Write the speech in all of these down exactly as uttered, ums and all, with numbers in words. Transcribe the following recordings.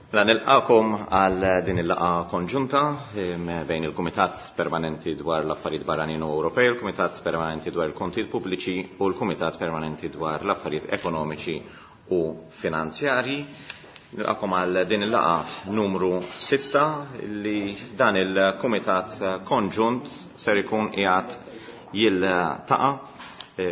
Mela nilqakom għal din il-laqgħa konġunta bejn il-Kumitat Permanenti dwar l-Affarijiet Barranin u Ewropej, il-Kumitat Permanenti dwar il-Kontijiet Pubbliċi u l-Kumitat Permanenti dwar l-Affarijiet Ekonomiċi u Finanzjarji. Nilqakom għal din il-laqgħa numru sitta li dan il-Kumitat Konġunt ser ikun qiegħed jiltaqa'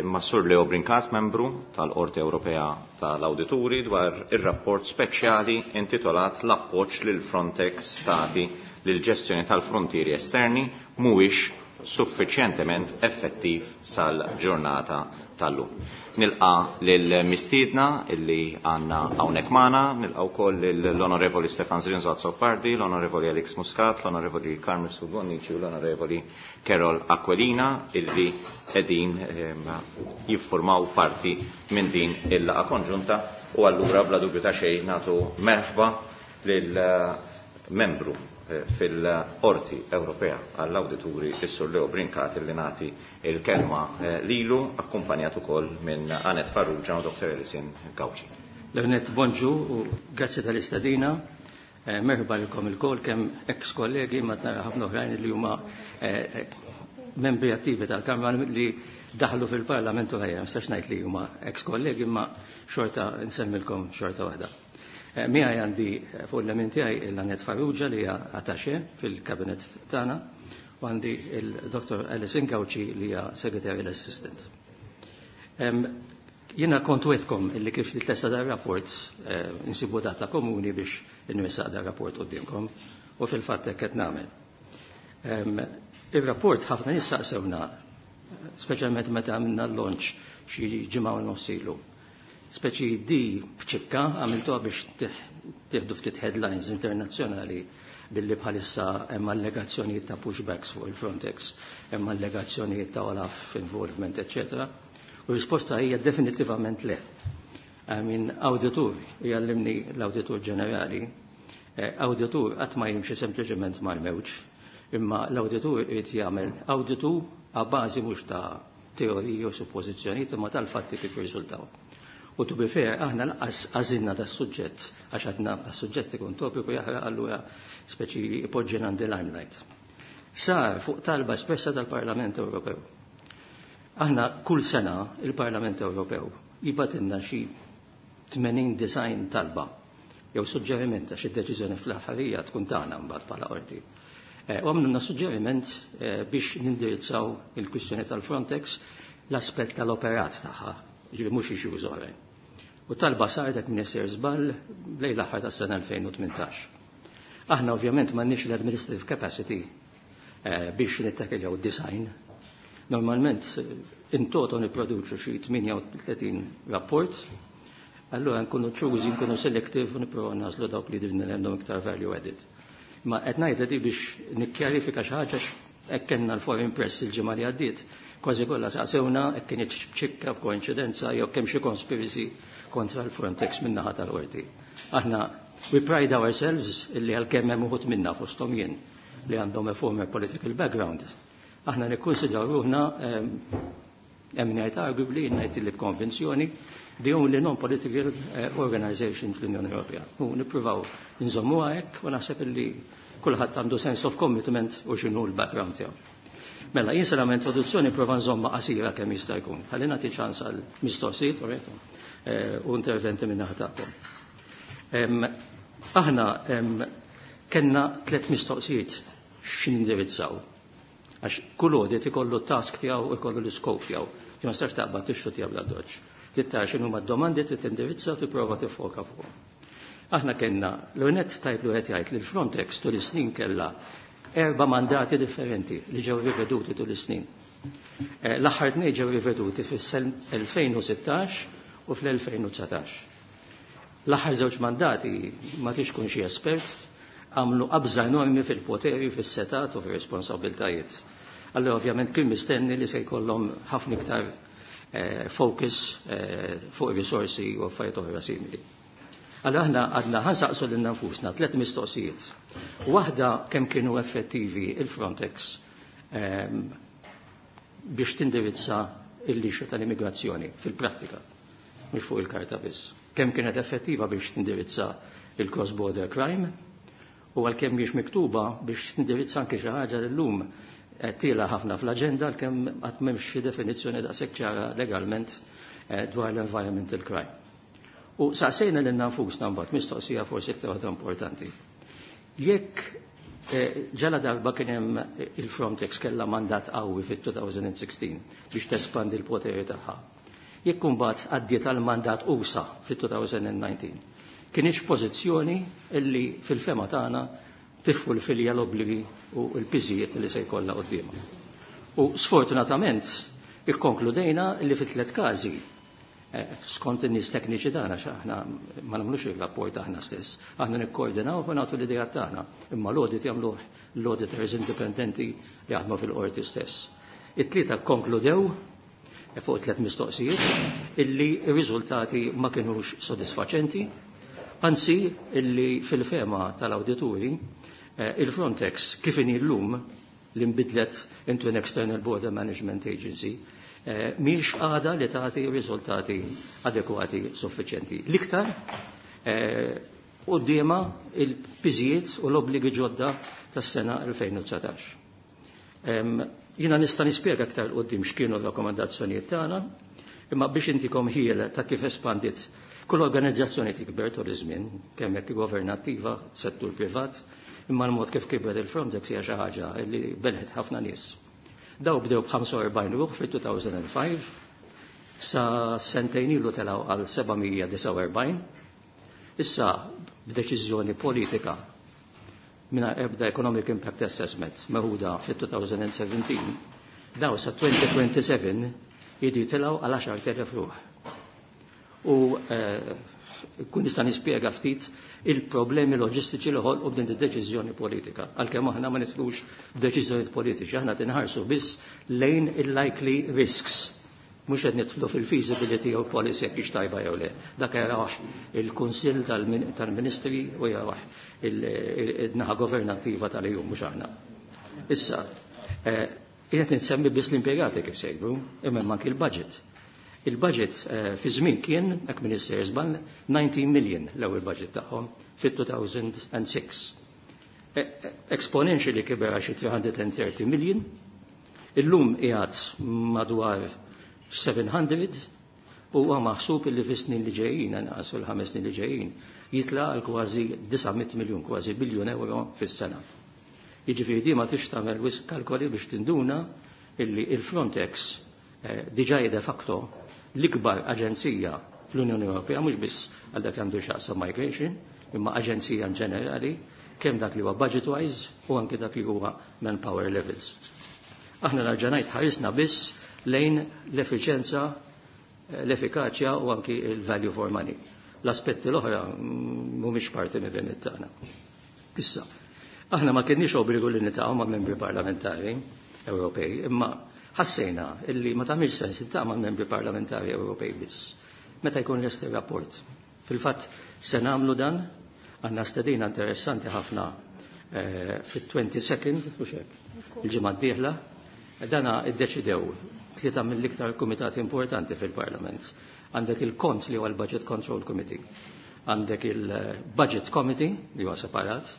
ma' Sur Leo Brincat, membru tal-Qorti Ewropea tal-Awdituri, dwar ir-rapport speċjali intitolat "L-appoġġ lil Frontex tagħti lil ġestjoni tal-frontieri esterni mhuwiex suffiċjentement effettiv sal-ġurnata tal-lum". Nilqa lil mistiedna illi għandna hawnhekk magħna, nilqa wkoll l-Onorevoli Stefan Zrinzo Azzopardi, l-Onorevoli Alex Muscat, l-Onorevoli Carmen Bonnici u l-Onorevoli Karol Aquilina illi qegħdin jiffurmaw parti minn din il-laqgħa konġunta, u allura bla dubju ta' xejn nagħtu merħba lil membru fil-Qorti Ewropea għall-Awdituri, is-Sur Leo Brincat, li nagħti il-kelma lilu, akkumpanjat ukoll minn Anet Farrugia u Doktor Alison Gauci. L-ewwel nett bonġu u grazzi tal-istedina. Merħba lilkom ilkoll, kemm ex kollegi ma nara ħafna oħrajn li huma membri attivi tal-Kamra li daħlu fil-Parlament u ħajja, nistax ngħid li huma ex kollegi, imma xorta nsemmilkom xorta waħda. Miegħi għandi fuq il-lemin tiegħi l-Anet Farrugia li hija attaché fil-kabinet tagħna, u għandi il-Doktor Alison Gauci li hija Secretarial Assistant. Jiena kont wegħedtkom illi kif tlesta dar rapport insibu data komuni biex nressaq dar rapport quddiemkom, u fil-fatt hekk qed nagħmel. Ir-rapport ħafna nies saqsewna, speċjalment meta għamilna l-launch xi ġimgħa u nofs ilu. Speċi di bċikka għamiltuha biex tieħdu ftit headlines internazzjonali billi bħalissa hemm allegazzjonijiet ta' pushbacks fuq il-Frontex, hemm allegazzjonijiet ta' Olaf involvement, eccetera. U risposta hija definitivament le. I mean, auditur, jgħallimni l-Awditur Ġenerali, auditur qatt ma jimxi sempliċement mal-mewġ, imma l-auditur irid jagħmel auditu a bażi mhux ta' teoriji u suppożizzjonijiet imma tal-fatti kif jirriżultaw. U to be fair, aħna lanqas għażilna das-suġġett, għax għadna das-suġġett ikun topiku jaħraq, allura speċi ipoġġina the limelight. Sar fuq talba espressa tal-Parlament Ewropew. Aħna kull sena il-Parlament Ewropew jibgħatilna xi tmenin disgħin talba jew suġġeriment, għax id-deċiżjoni fl-aħħarija tkun tagħna mbagħad bħala qorti. U għamlulna suġġeriment biex nindirizzaw il-kwistjoni tal-Frontex, l-aspett tal-operat tagħha, ġifieri mhux issues oħrajn. U talba saret, jekk m'iniex sejjer żball, lejn l-aħħar tas-sena elfejn u tmintax. Aħna ovvjament m'għandniex l-administrative capacity biex nittakiljaw design. Normalment in toto nipproduċu xi tmienja u tletin rapport, allura nkunu choosy, nkunu selective u nipprovaw nagħżlu dawk li jidhirlna li għandhom iktar value added. Ma qed ngħidha di biex nikkjarifika xi ħaġa, hekk kellna l-foreign press il-ġimgħa li għaddiet, kważi kollha saqsewna hekk kienet ċikka b'koinċidenza jew kemm xi conspiracy kontra l-Frontex min-naħa tal-qorti. Aħna we pride ourselves illi għalkemm hemm uħud minna, fosthom jien, li għandhom a former political background, aħna nikkonsidraw ruħna, hemm ngħid arguably, ngħid li b'konvinzjoni, the only non-political organization fl-Unjoni Ewropea. U nippruvaw nżommuha hekk u naħseb illi kulħadd għandu sense of commitment u x'inhu l-background tiegħu. Mela, jien se nagħmel introduzzjoni, prova nżomma qasira kemm jista' jkun. Ħalli nagħti ċans għal mistoqsijiet u interventi minn naħa tagħkom. Aħna kellna tliet mistoqsijiet x'nindirizzaw. Għax kull audit ikollu task tiegħu, ikollu l-iskop tiegħu. Ma tistax taqbad tixxuttja bla doċ. Trid x'inhu d-domandi trid tindirizza u tipprova tiffoka fuqhom. Aħna kellna l-unet tajb li qed jgħid li l-Frontex tul is-snin kellha erba' mandati differenti li ġew riveduti tul is-snin. L-aħħar tnejn ġew riveduti fis-elfejn u sittax u fl-elfejn u dsatax. L-aħħar żewġ mandati, ma tix kun xi espert, għamlu qabża enormi fil-poteri, fis-setgħat u fir-responsabiltajiet. Allora ovvjament kien mistenni li se jkollhom ħafna iktar focus fuq risorsi u affarijiet oħra simili. Allora aħna għadna ħa nsaqsu lil nfusna tliet mistoqsijiet. Waħda, kemm kienu effettivi il-Frontex biex tindirizza il-issue tal-immigrazzjoni fil-prattika, mhux fuq il-karta biss. Kemm kienet effettiva biex tindirizza il-cross-border crime, u għalkemm mhix miktuba biex tindirizza anke xi ħaġa li llum tiela ħafna fl-aġenda, għalkemm qatt m'hemmx xi definizzjoni daqshekk ċara legalment eh, dwar l-environmental crime. U saqsejna lil nfusna mbagħad mistoqsija forsi iktar waħda importanti. Jekk eh, ġala darba kien hemm il-Frontex kellha mandat qawwi fit-elfejn u sittax biex tespandi l-poteri tagħha. Jekk imbagħad għaddiet għal mandat usa fit-elfejn u dsatax, kienx pożizzjoni illi fil-fehma tagħna tiffulfilja l-obbligi u l-piżijiet li se jkollha quddiemha? U sfortunatament ikkonkludejna li fi tliet każi, eh, skont in-nies tekniċi tagħna, aħna ma nagħmlux il-rapport aħna stess, aħna nikkoordinaw u nagħtu l-idea tagħna, imma l-audit jagħmluh l-auditors indipendenti li jaħdmu fil-qorti stess. It-tlieta konkludew eh, fuq tliet mistoqsijiet illi r-riżultati ma kinux sodisfaċenti, anzi illi fil-fehma tal-awdituri eh, il-Frontex kif inhi llum, li nbidlet into an External Border Management Agency, eh, mhix għada li tagħti riżultati adekwati suffiċjenti. L-iktar eh, quddiemha il-piżijiet u l-obbligi ġodda tas-sena elfejn u dsatax. Jiena nista' nispjega aktar quddiem x'kienu r-rakkomandazzjonijiet tagħna, imma biex intikom ħjiel ta' kif espandit. Kull organizzazzjoni tikber tul iż-żmien, kemm jekk governattiva, settur privat, imma l-mod kif kibret il-Frontex hija xi ħaġa li belħet ħafna nies. Daw bdew b'ħamsa u erbgħin ruħ fil-elfejn u ħamsa, sa sentejn ilu telgħu għal seba' mija disgħa u erbgħin. Issa b'deċiżjoni politika minna ebda Economic Impact Assessment meħuda fit-elfejn u sbatax, daw sa elfejn u sbatax jidu jitilgħu għal għaxart elef ruħ. U eh, kun nista' nispjega ftit il-problemi loġistiċi li ħolqu b'din id-deċiżjoni politika. Għalkemm aħna ma nidħlux b'deċiżjonijiet politiċi, aħna tinħarsu biss lejn il-likely risks. Mhux qed nidħlu fil-feasibility jew policy jekk hix tajba jew le. Dak jaraw il-Kunsill tal-Ministri u jaraw il-naħa governattiva tal-E U, mhux aħna. Issa, eh, qiegħed insemmi biss l-impjegati kif segwu, imma anki il-budget. Il-budget eh, fi żmien kien, hekk Minister żball, nineteen million l-ewwel budget tagħhom fit-elfejn u sitta. E, e, exponentially kiber għal xi tliet mija u tletin million, illum qiegħed madwar seba' mija u huwa maħsub li fis-snin li ġejjin, anqas fil-ħames snin li ġejjin, jitla għal kważi disa' mitt miljun, kważi biljun euro fis-sena. Jiġifieri di ma tix tagħmel wisq kalkoli biex tinduna illi il-Frontex eh, diġà de facto l-ikbar aġenzija fl-Unjoni Ewropea, mhux biss għal dak li għandu x'jaqsam migration, imma aġenzija in ġenerali, kemm dak li huwa budget-wise u anke dak li huwa manpower levels. Aħna nerġa' ngħid, ħarisna biss lejn l-effiċenza, l-effikaċja u anki il-value for money. L-aspetti l-oħra mhumiex parti mill tagħna. Issa, aħna ma kienniex obbligu li niltaqgħu ma' membri parlamentari Ewropej, imma ħassejna illi ma tagħmilx sens tiltaqa' ma' membri parlamentari Ewropej biss meta jkun lest ir-rapport. Fil-fatt se nagħmlu dan, għandna stedina interessanti ħafna eh, fit-twenty-second, u xek, il-ġimgħa d-dieħla, dana iddeċidew tlieta mill-iktar kumitati importanti fil-Parlament. Għandek il-kont li huwa l-Budget Control Committee, għandek il-Budget Committee li huwa separat,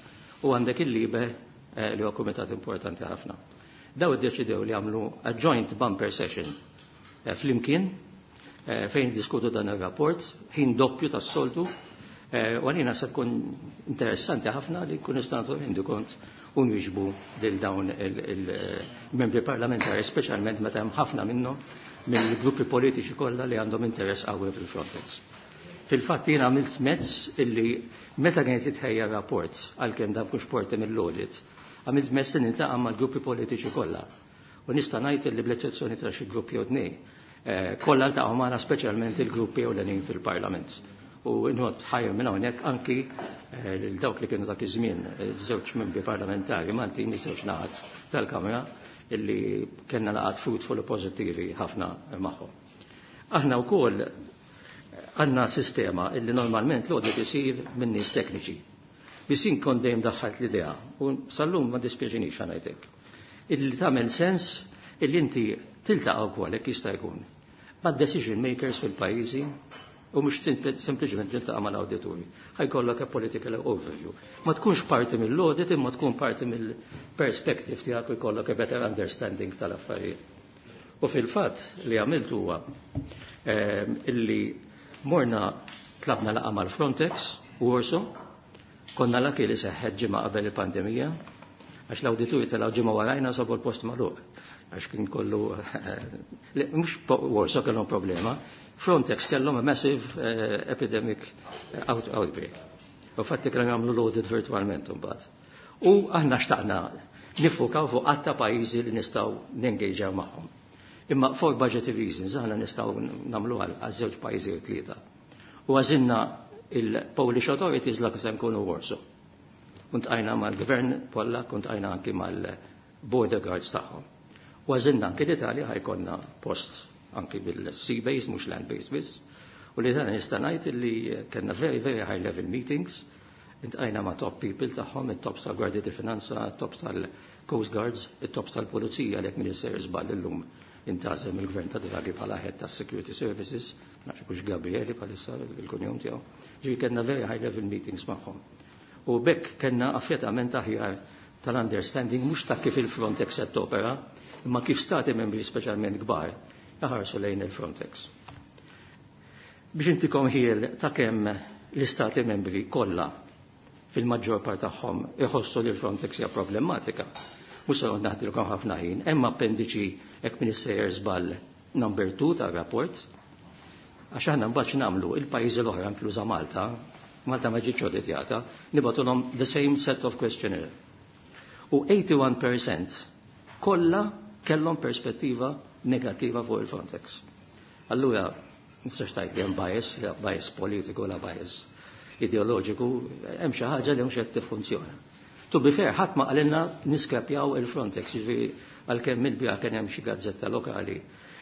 u għandek il-LIBE eh, li huwa kumitat importanti ħafna. Daw iddeċidew li għamlu a joint bumper session eh, flimkien eh, fejn diskutu dan il-rapport, ħin doppju tas-soltu, u għalina se tkun interessanti ħafna li kun nistgħu nagħtu kont u nwieġbu lil dawn il-membri parlamentari, speċjalment meta hemm ħafna minnhom mill-gruppi politiċi kollha li għandhom interess qawwi fil-Frontex. Fil-fatt jien għamilt mezz illi meta kienet jitħejja rapport, għalkemm dan mhux parti mill-audit, għamilt mezz li niltaqa' mal-gruppi politiċi kollha. U nista' ngħid illi bl-eċċezzjoni ta' xi gruppi jew tnejn, eh, kollha ltaqgħu magħna, speċjalment il-gruppi ewlenin fil-Parlament. U nrodd ħajr minn hawnhekk anki eh, lil dawk li kienu dak iż-żmien eh, żewġ membri parlamentari Maltin, żewġ naħat tal-Kamra, illi kellna laqgħat fruitful u pożittivi ħafna magħhom. Aħna wkoll għandna sistema illi normalment l-audit isir minn nies tekniċi. Biss jien kont dejjem daħħalt l-idea u sal-lum ma dispjaċinix ngħidlek, illi tagħmel sens illi inti tiltaqa' wkoll, jekk jista' jkun, ma' decision makers fil-pajjiżi U mhux sempliċement tiltaqa' mal-awdituri. Ħa jkollok a political overview. Ma tkunx parti mill-audit imma tkun parti mill-perspective tiegħek u jkollok a better understanding tal-affarijiet. U fil-fatt li għamilt huwa ehm, illi morna tlabna laqgħa mal-Frontex u Warsaw, konna laki li seħħet ġimgħa qabel il-pandemija, għax l-awdituri telgħu ġimgħa warajna sabu l-post magħluq għax kien kollu, mhux Warsaw kellhom problema, Frontex kellhom a massive uh, epidemic out outbreak. U fatti kellhom jagħmlu l-audit virtualment imbagħad. U aħna xtaqna niffukaw fuq għadd ta' pajjiżi li nistgħu nengaġaw magħhom. Imma for budgetary reasons aħna nistgħu nagħmlu għal żewġ pajjiżi u tlieta. U għażilna il-Polish authorities la se nkunu Warsaw. Iltqajna mal-gvern Pollakk, iltqajna anki mal-border guards tagħhom. U għażilna anki l-Italja ħa jkollna post anki bil-sea base, mhux land base biss. U li dan nista' ngħid li kellna very, very high level meetings, iltqajna ma' top people tagħhom, it-tops tal-Gwardja di Finanza, it-tops tal-Coast Guards, it-tops tal-Pulizija li jekk m'iniex sejjer żball illum intgħażel mill-gvern ta' Draghi bħala head tas Security Services, nafx hux Gabrieli bħalissa il-kunjom tiegħu. Ġifieri kellna very high level meetings magħhom. U b'hekk kellna affjettament aħjar tal-understanding mhux ta' kif il-Frontex qed topera, imma kif stati membri speċjalment kbar jaħarsu lejn il-Frontex. Biex intikom ħjiel ta' kemm l-istati membri kollha fil-maġġor part tagħhom iħossu li l-Frontex hija problematika. Mhux se naħdilkom ħafna ħin, hemm appendiċi jekk m'iniex sejjer żball number two tar-rapport. Għax aħna mbagħad nagħmlu il-pajjiżi l-oħra inkluża Malta, Malta ma ġietx auditjata, nibagħtulhom the same set of questionnaire. U eighty-one percent kollha kellhom perspettiva negattiva fuq il-Frontex. Allura, nistax tgħid li hemm bias, la bias politiku, la bias ideoloġiku, hemm xi ħaġa li mhux qed tiffunzjona. To be fair, ħadd ma qalilna niskrapjaw il-Frontex, jiġifieri għalkemm mill-bija kien hemm xi gazzetta lokali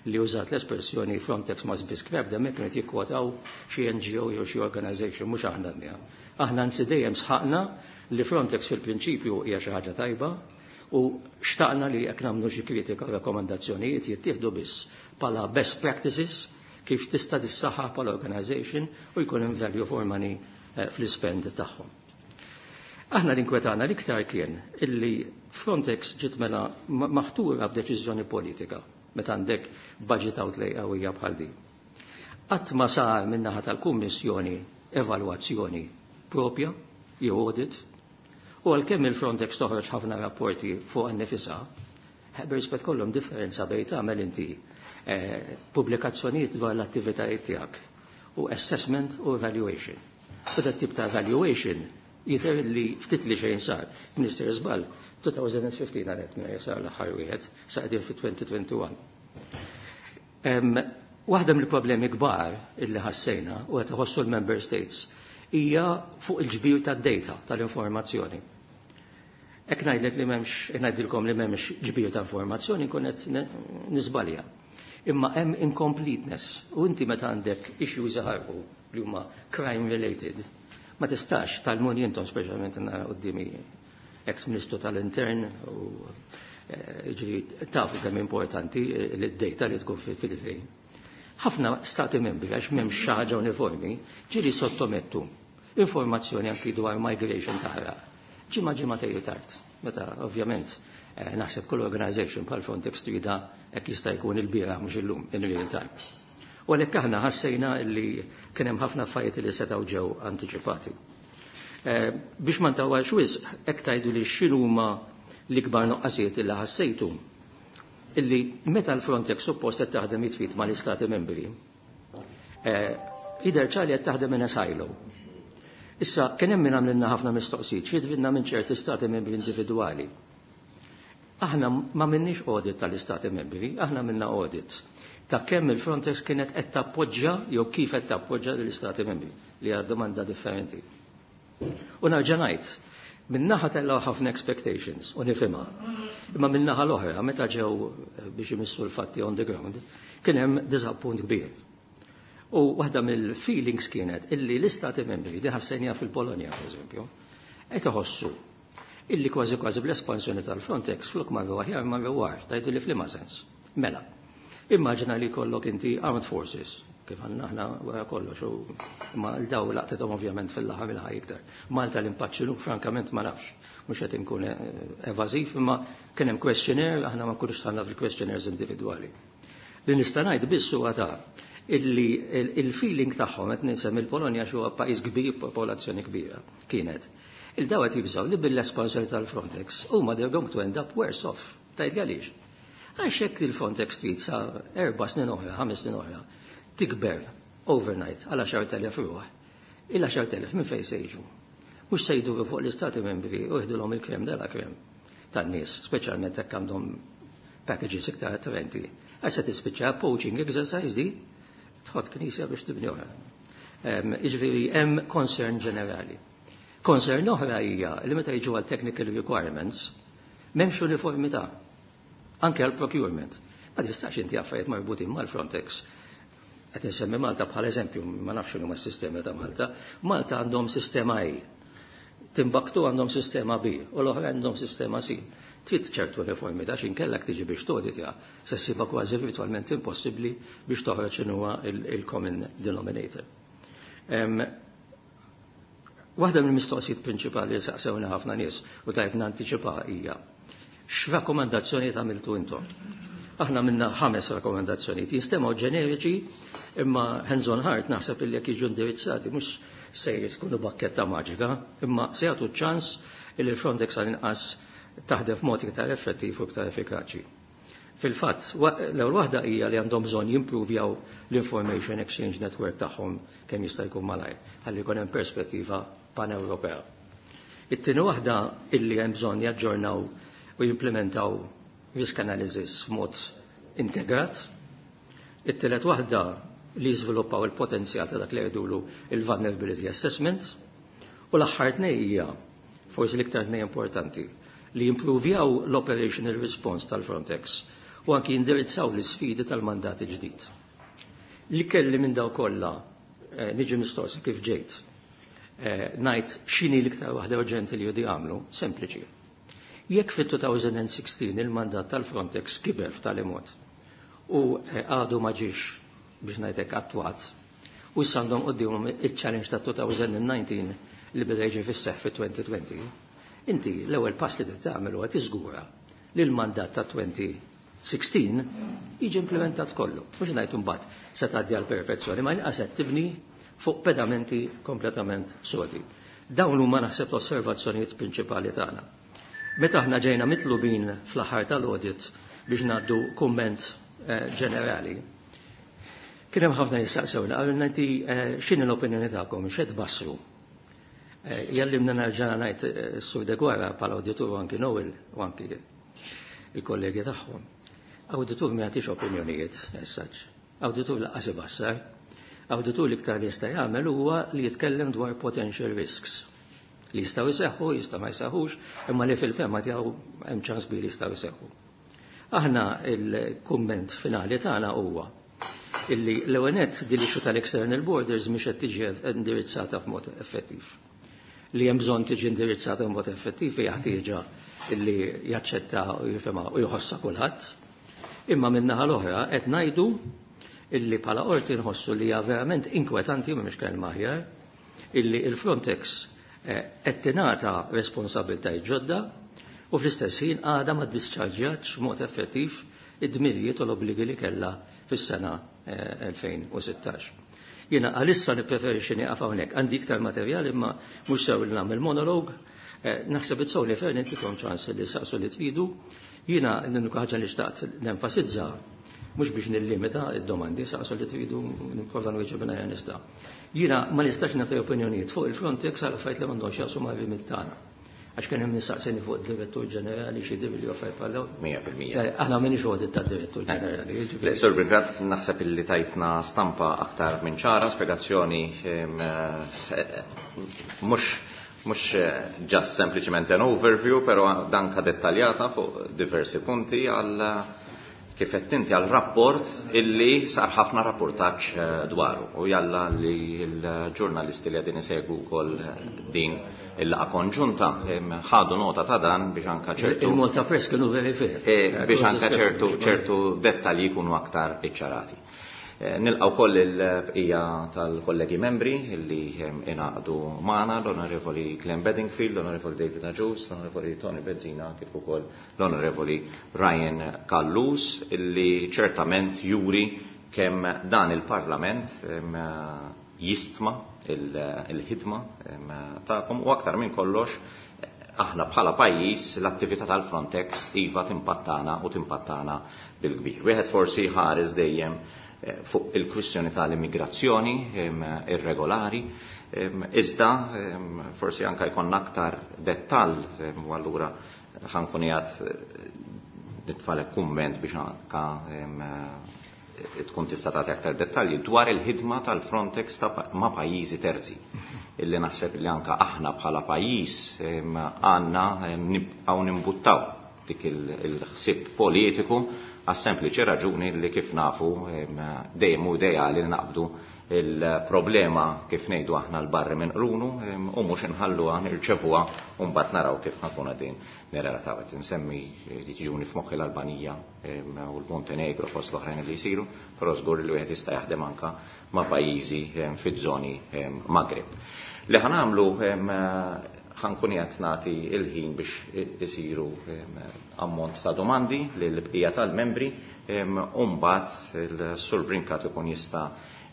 li użat l-espressjoni "Frontex must be scrapped", hemmhekk kienet jikkwotaw xi N G O jew xi organization, mhux aħna għednieha. Aħna anzi dejjem sħaqna li Frontex fil-prinċipju hija xi ħaġa tajba u xtaqna li jekk nagħmlu xi kritika u rakkomandazzjonijiet jittieħdu biss bħala best practices kif tista' tissaħħaħ bħala organization u jkun hemm value for money eh, fl-ispend tagħhom. Aħna l-inkwetana l-iktar kien illi Frontex ġiet mela maħtura b'deċiżjoni politika meta għandek budget outlay qawwija bħal din. Qatt ma sar min-naħa tal-Kummissjoni evalwazzjoni propja jew audit u għalkemm il-Frontex toħroġ ħafna rapporti fuq innifisha, b'rispett kollhom differenza bejn tagħmel inti eh, pubblikazzjonijiet dwar l-attivitajiet tiegħek u assessment u evaluation. U dat tip ta' evaluation jidher li ftit li xejn sar. Minister żball, twenty fifteen għalet minn sar l-aħħar wieħed, sa qegħdin fi twenty twenty-one. Waħda mill-problemi kbar illi ħassejna u qed iħossu l-member states hija fuq il-ġbir tad-data tal-informazzjoni. Jekk ngħidlek li m'hemmx, ngħidilkom li m'hemmx ġbir ta' informazzjoni, nkun qed niżbalja. Imma hemm incompleteness u inti meta għandek issues jaħarqu li huma crime related, ma tistax tal-mun intom speċjalment nara quddiemi ex-ministru tal-intern u eh, ġifieri tafu kemm importanti l-data li tkun fil-fejn. Ħafna stati membri, għax m'hemmx xi ħaġa uniformi, ġieli sottomettu informazzjoni anki dwar migration taħraq. Ġimgħa ġimgħatejn tard, meta ovvjament eh, naħseb kull organization bħal Frontex trida hekk jista' jkun il-bieraħ mhux illum in real time. U għalhekk aħna ħassejna li kien hemm ħafna affarijiet li setgħu ġew antiċipati. Eh, biex ma ntawwalx wisq, hekk tgħidu li x'inhuma l-ikbar noqqasijiet li ħassejtu illi meta l-Frontex suppost qed taħdem id f'id mal-istati membri, eh, jidher ċar li qed taħdem in a silo. Issa, kien hemm min għamlilna ħafna mistoqsijiet, x'jiġrilna minn ċerti stati membri individwali. Aħna ma għamilniex audit tal-istati membri, aħna għamilna audit ta' kemm il-Frontex kienet qed tappoġġja jew kif qed tappoġġja l-istati membri li għad domanda differenti. U nerġa' ngħid, min-naħa tellgħu ħafna expectations u nifhimha. Imma min-naħa l-oħra meta ġew biex imissu l-fatti on the ground, kien hemm disappunt kbir. U waħda mill-feelings kienet illi l-istati membri li ħassejnieha fil-Polonja, per eżempju, qed iħossu illi kważi kważi bl-espansjoni tal-Frontex flok marru aħjar marru agħar, tgħidu li f'liema sens. Mela, immaġina li jkollok inti armed forces Kif għandna aħna wara kollox, u ma l-daw laqtithom ovvjament fil-laħam il-ħaj iktar. Malta l-impatt x'inhu, frankament ma nafx, mhux qed inkun evażiv, imma kien hemm questionnaire, aħna ma nkunux dħalna fil-questionnaires individwali. Li nista' ngħid biss huwa ta' illi il-feeling tagħhom, qed ninsem il-Polonja xi pajjiż kbir, popolazzjoni kbira, kienet. Il-daw qed jibżgħu li bil-espansjoni tal-Frontex huma they're going to end up worse off. Tgħid għaliex? Għax hekk il-Frontex trid sa erba' snin oħra, ħames snin oħra, tikber overnight għal għaxart elef ruħ. Il-għaxart elef minn fejn se jiġu? Mhux se jduru fuq l-istati membri u jieħdulhom il-crème de la crème tan-nies, speċjalment hekk għandhom packages iktar attraenti. Għax se tispiċċa poaching exercise di tħott knisja biex tibni oħra. Jiġifieri hemm concern ġenerali. Concern oħra hija li meta jiġu għal technical requirements m'hemmx uniformità anke għal procurement. Ma tistax inti affarijiet marbutin mal-Frontex, qed insemmi Malta bħala eżempju, ma nafx x'inhuma s-sistema ta' Malta. Malta għandhom sistema A. Timbuktu għandhom sistema B u l-oħra għandhom sistema C. Trid ċertu uniformità x'inkellek tiġi biex toditja, se ssibha kważi virtualment impossibbli biex toħroġ x'inhuwa il-common denominator. Waħda mill-mistoqsijiet prinċipali li saqsewna ħafna nies u tajb nantiċipa hija: x'rakkomandazzjoni għamiltu intom? Aħna għamilna ħames rakkomandazzjonijiet, jinstemgħu ġeneriċi, imma hands on heart naħseb illi jekk jiġu indirizzati mhux se jkunu bakketta maġika, imma se jagħtu ċans illi l-Frontex għal inqas taħdem f'mod iktar effettiv u iktar effikaċi. Fil-fatt, l-ewwel waħda hija li għandhom bżonn jimpruvjaw l-Information Exchange Network tagħhom kemm jista' jkun malajr, ħalli jkun hemm perspettiva pan-Ewropea. It-tieni waħda illi hemm bżonn jaġġornaw u jimplementaw risk analysis f'mod integrat. It-tielet waħda li jiżviluppaw il-potenzjal ta' dak li jgħidulu il-vulnerability assessment. U l-aħħar tnej hija forsi l-iktar tnej importanti, li jimpruvjaw l-operational response tal-Frontex u anki jindirizzaw l-sfidi tal-mandat ġdid. Li kelli minn daw kollha eh, niġi mistoqsi kif ġejt, eh, ngħid x'inhi l-iktar waħda urġenti li jridu jagħmlu, sempliċi. Jekk fit-elfejn u sittax il-mandat tal-Frontex kiber f'tali mod u eh, għadu ma ġiex biex ngħidlek attwat, u issa għandhom qudiemhom il-challenge ta' elfejn u dsatax li beda jiġi fis-seħħ fit-elfejn u għoxrin, inti l-ewwel pass li tagħmel huwa tiżgura li l-mandat ta' elfejn u sittax jiġi implementat kollu. Mhux ngħid imbagħad se tgħaddi għal perfezzjoni, ma inqas qed tibni fuq pedamenti kompletament sodi. Dawn huma naħseb l-osservazzjonijiet prinċipali tagħna. Meta aħna ġejna mitlubin fl-aħħar tal-audit biex ngħaddu kumment eh, ġenerali, kien hemm ħafna jistaqsewna, qalulna inti eh, x'inhi l-opinjoni tagħkom, x'qed tbassru? Eh, jallimna nerġa' ngħid Sur Deguara bħala awditur u anki Noel u anki il-kollegi tagħhom. Awditur ma jagħtix opinjonijiet as such. Awditur lanqas ibassar. Awditur l-iktar li jista' jagħmel huwa li jitkellem dwar potential risks li jistgħu jseħħu, jistgħu ma jseħħux, imma li fil-fehma tiegħu hemm ċans kbir li jistgħu jseħħu. Aħna il-kumment finali tagħna huwa illi l-ewwel nett din l-issue tal-external borders mhix qed tiġi indirizzata f'mod effettiv. Li hemm bżonn tiġi indirizzata b'mod effettiv hija ħtieġa illi jaċċetta u jifhimha u jħossha kulħadd. Imma min-naħa l-oħra qed ngħidu illi bħala qorti nħossu li hija verament inkwetanti, u mhix kelma aħjar, illi il-Frontex eh, qed tingħata responsabbiltajiet ġodda u fl-istess ħin għadha ma ddischarġjatx mod effettiv id-dmirijiet u l-obbligi li kellha fis-sena elfejn u sittax. Jiena għalissa nippreferixxi nieqaf hawnhekk. Għandi iktar materjal imma mhux sew li nagħmel monolog. Eh, naħseb it's only fair nagħtikom ċans li saqsu li tridu. Jiena l-unika ħaġa li xtaqt nenfasizza, mhux biex nillimita id-domandi, saqsu li tridu, nipprova nwieġeb minn nista'. Jiena ma nistax nagħti opinjonijiet fuq il-Frontex għal affarijiet li m'għandhomx jaqsmu ma' remit tagħna. Għax kien hemm nistaqsini fuq id-direttur ġenerali xi divi li affarijiet bħal dawn. mija fil-mija. Eh, Aħna m'inix audit tad-direttur ġenerali. Le, Sur Brincat, naħseb illi tajtna stampa aktar minn ċara, spiegazzjoni em, eh, mhux mhux eh, just sempliċement an overview, pero danka dettaljata fuq diversi punti għal kif qed inti għal rapport illi sar ħafna rapportaġġ eh, dwaru u jalla li l-ġurnalisti li qegħdin isegwu wkoll din il-laqgħa konġunta em, ħadu nota ta' dan biex anka ċertu Il-Malta Press kienu very fair. Eh, biex anka ċertu ċertu dettalji jkunu aktar iċċarati. Nilqgħu wkoll il-bqija tal-kollegi membri li ingħaqdu magħna, l-Onorevoli Glenn Bedingfield, l-Onorevoli David Agius, l-Onorevoli Tony Bezzina, kif ukoll l-Onorevoli Ryan Callus, illi ċertament juri kemm dan il-Parlament jistma il-ħidma tagħkom u aktar minn kollox aħna bħala pajjiż l-attività tal-Frontex iva timpattana u timpattana bil-kbir. Wieħed forsi ħares dejjem fuq il-kwistjoni tal-immigrazzjoni irregolari, iżda forsi anka jkollna aktar dettall u allura ħankun qiegħed nitfalek kumment biex anka tkun tista' tagħti aktar dettalji dwar il-ħidma tal-Frontex ma' pajjiżi terzi. Illi naħseb li anka aħna bħala pajjiż għandna nibqgħu nimbuttaw dik il-ħsieb politiku għas sempliċi raġuni li kif nafu dejjem hu ideali li naqbdu il-problema kif ngħidu aħna l-barri minn qrunu u mhux inħalluha nirċevuha u mbagħad naraw kif ħankun qegħdin nirrelataw. Qed insemmi li tiġuni f'moħħi l-Albanija u l-Montenegro fost l-oħrajn li jsiru, però żgur li wieħed jista' jaħdem anka ma' pajjiżi fiż-żoni Maghreb. Li ħanamlu ħankun qed nagħti il-ħin biex isiru ammont ta' domandi lill-bqija tal-membri u mbagħad il-Sur Brincat ikun jista'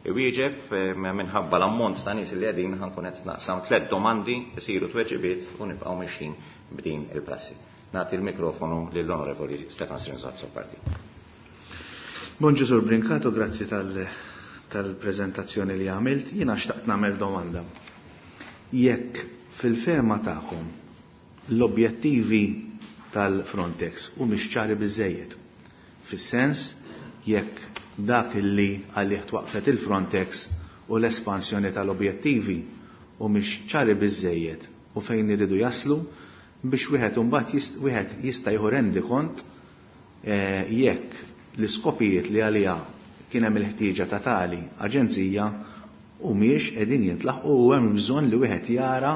iwieġeb. Minħabba l-ammont ta' nies li qegħdin ħankun qed naqsam tliet domandi isiru tweġibiet u nibqgħu mixjin b'din il-prassi. Nagħti l-mikrofonu lill-Onorevoli Stefan Zrinzo Azzopardi. Bonġu Sur Brincat, grazzi tal-preżentazzjoni li għamilt. Jiena xtaqt nagħmel domanda. Jekk fil-fehma tagħkom l-objettivi tal-Frontex u mhix ċari biżejjed, fis-sens jekk dak illi għalih twaqfet il-Frontex u l-espansjoni tal-objettivi u mhix ċari biżejjed u fejn iridu jaslu biex wieħed imbagħad wieħed jista' jieħu rendi kont jekk l-iskopijiet li għaliha kien hemm il-ħtieġa ta' tali aġenzija u mhijiex qegħdin jintlaħqu u hemm bżonn li wieħed jara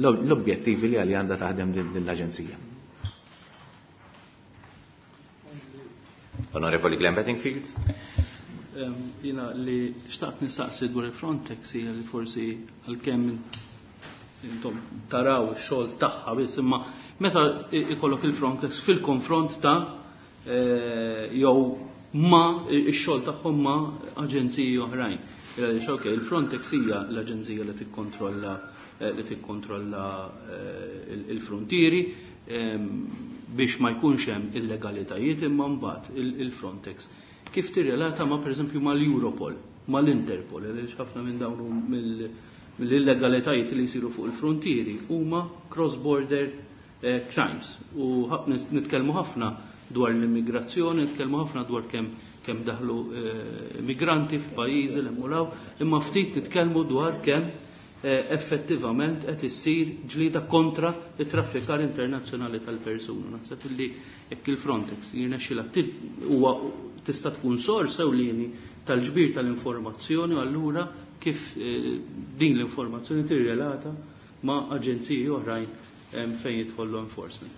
l-objettivi li għalli għandha taħdem din l-aġenzija. Onorevoli Glenn Bedingfield. Jina li xtaqt nistaqsi dwar il-Frontex hija li forsi għalkemm intom taraw ix-xogħol tagħha biss, imma meta ikollok il-Frontex fil-konfront ta' jew ma ix-xogħol tagħhom ma' aġenziji oħrajn. Għaliex il-Frontex hija l-aġenzija li tikkontrolla li tikkontrolla il-frontieri biex ma jkunx hemm illegalitajiet, imma mbagħad il-Frontex kif tirrelata ma' pereżempju mal-Europol, mal-Interpol, għaliex ħafna minn dawn mill-illegalitajiet li jsiru fuq il-frontieri huma cross-border crimes. U nitkellmu ħafna dwar l-immigrazzjoni, nitkellmu ħafna dwar kemm kemm daħlu migranti f'pajjiżi li mulaw, imma ftit nitkellmu dwar kemm effettivament qed issir ġlieda kontra it-traffikar internazzjonali tal-persuna. Naħseb illi jekk il-Frontex jirnexxilha huwa tista' tkun sors ewlieni tal-ġbir tal-informazzjoni u allura kif din l-informazzjoni tirrelata ma' aġenziji oħrajn fejn jidħol law enforcement.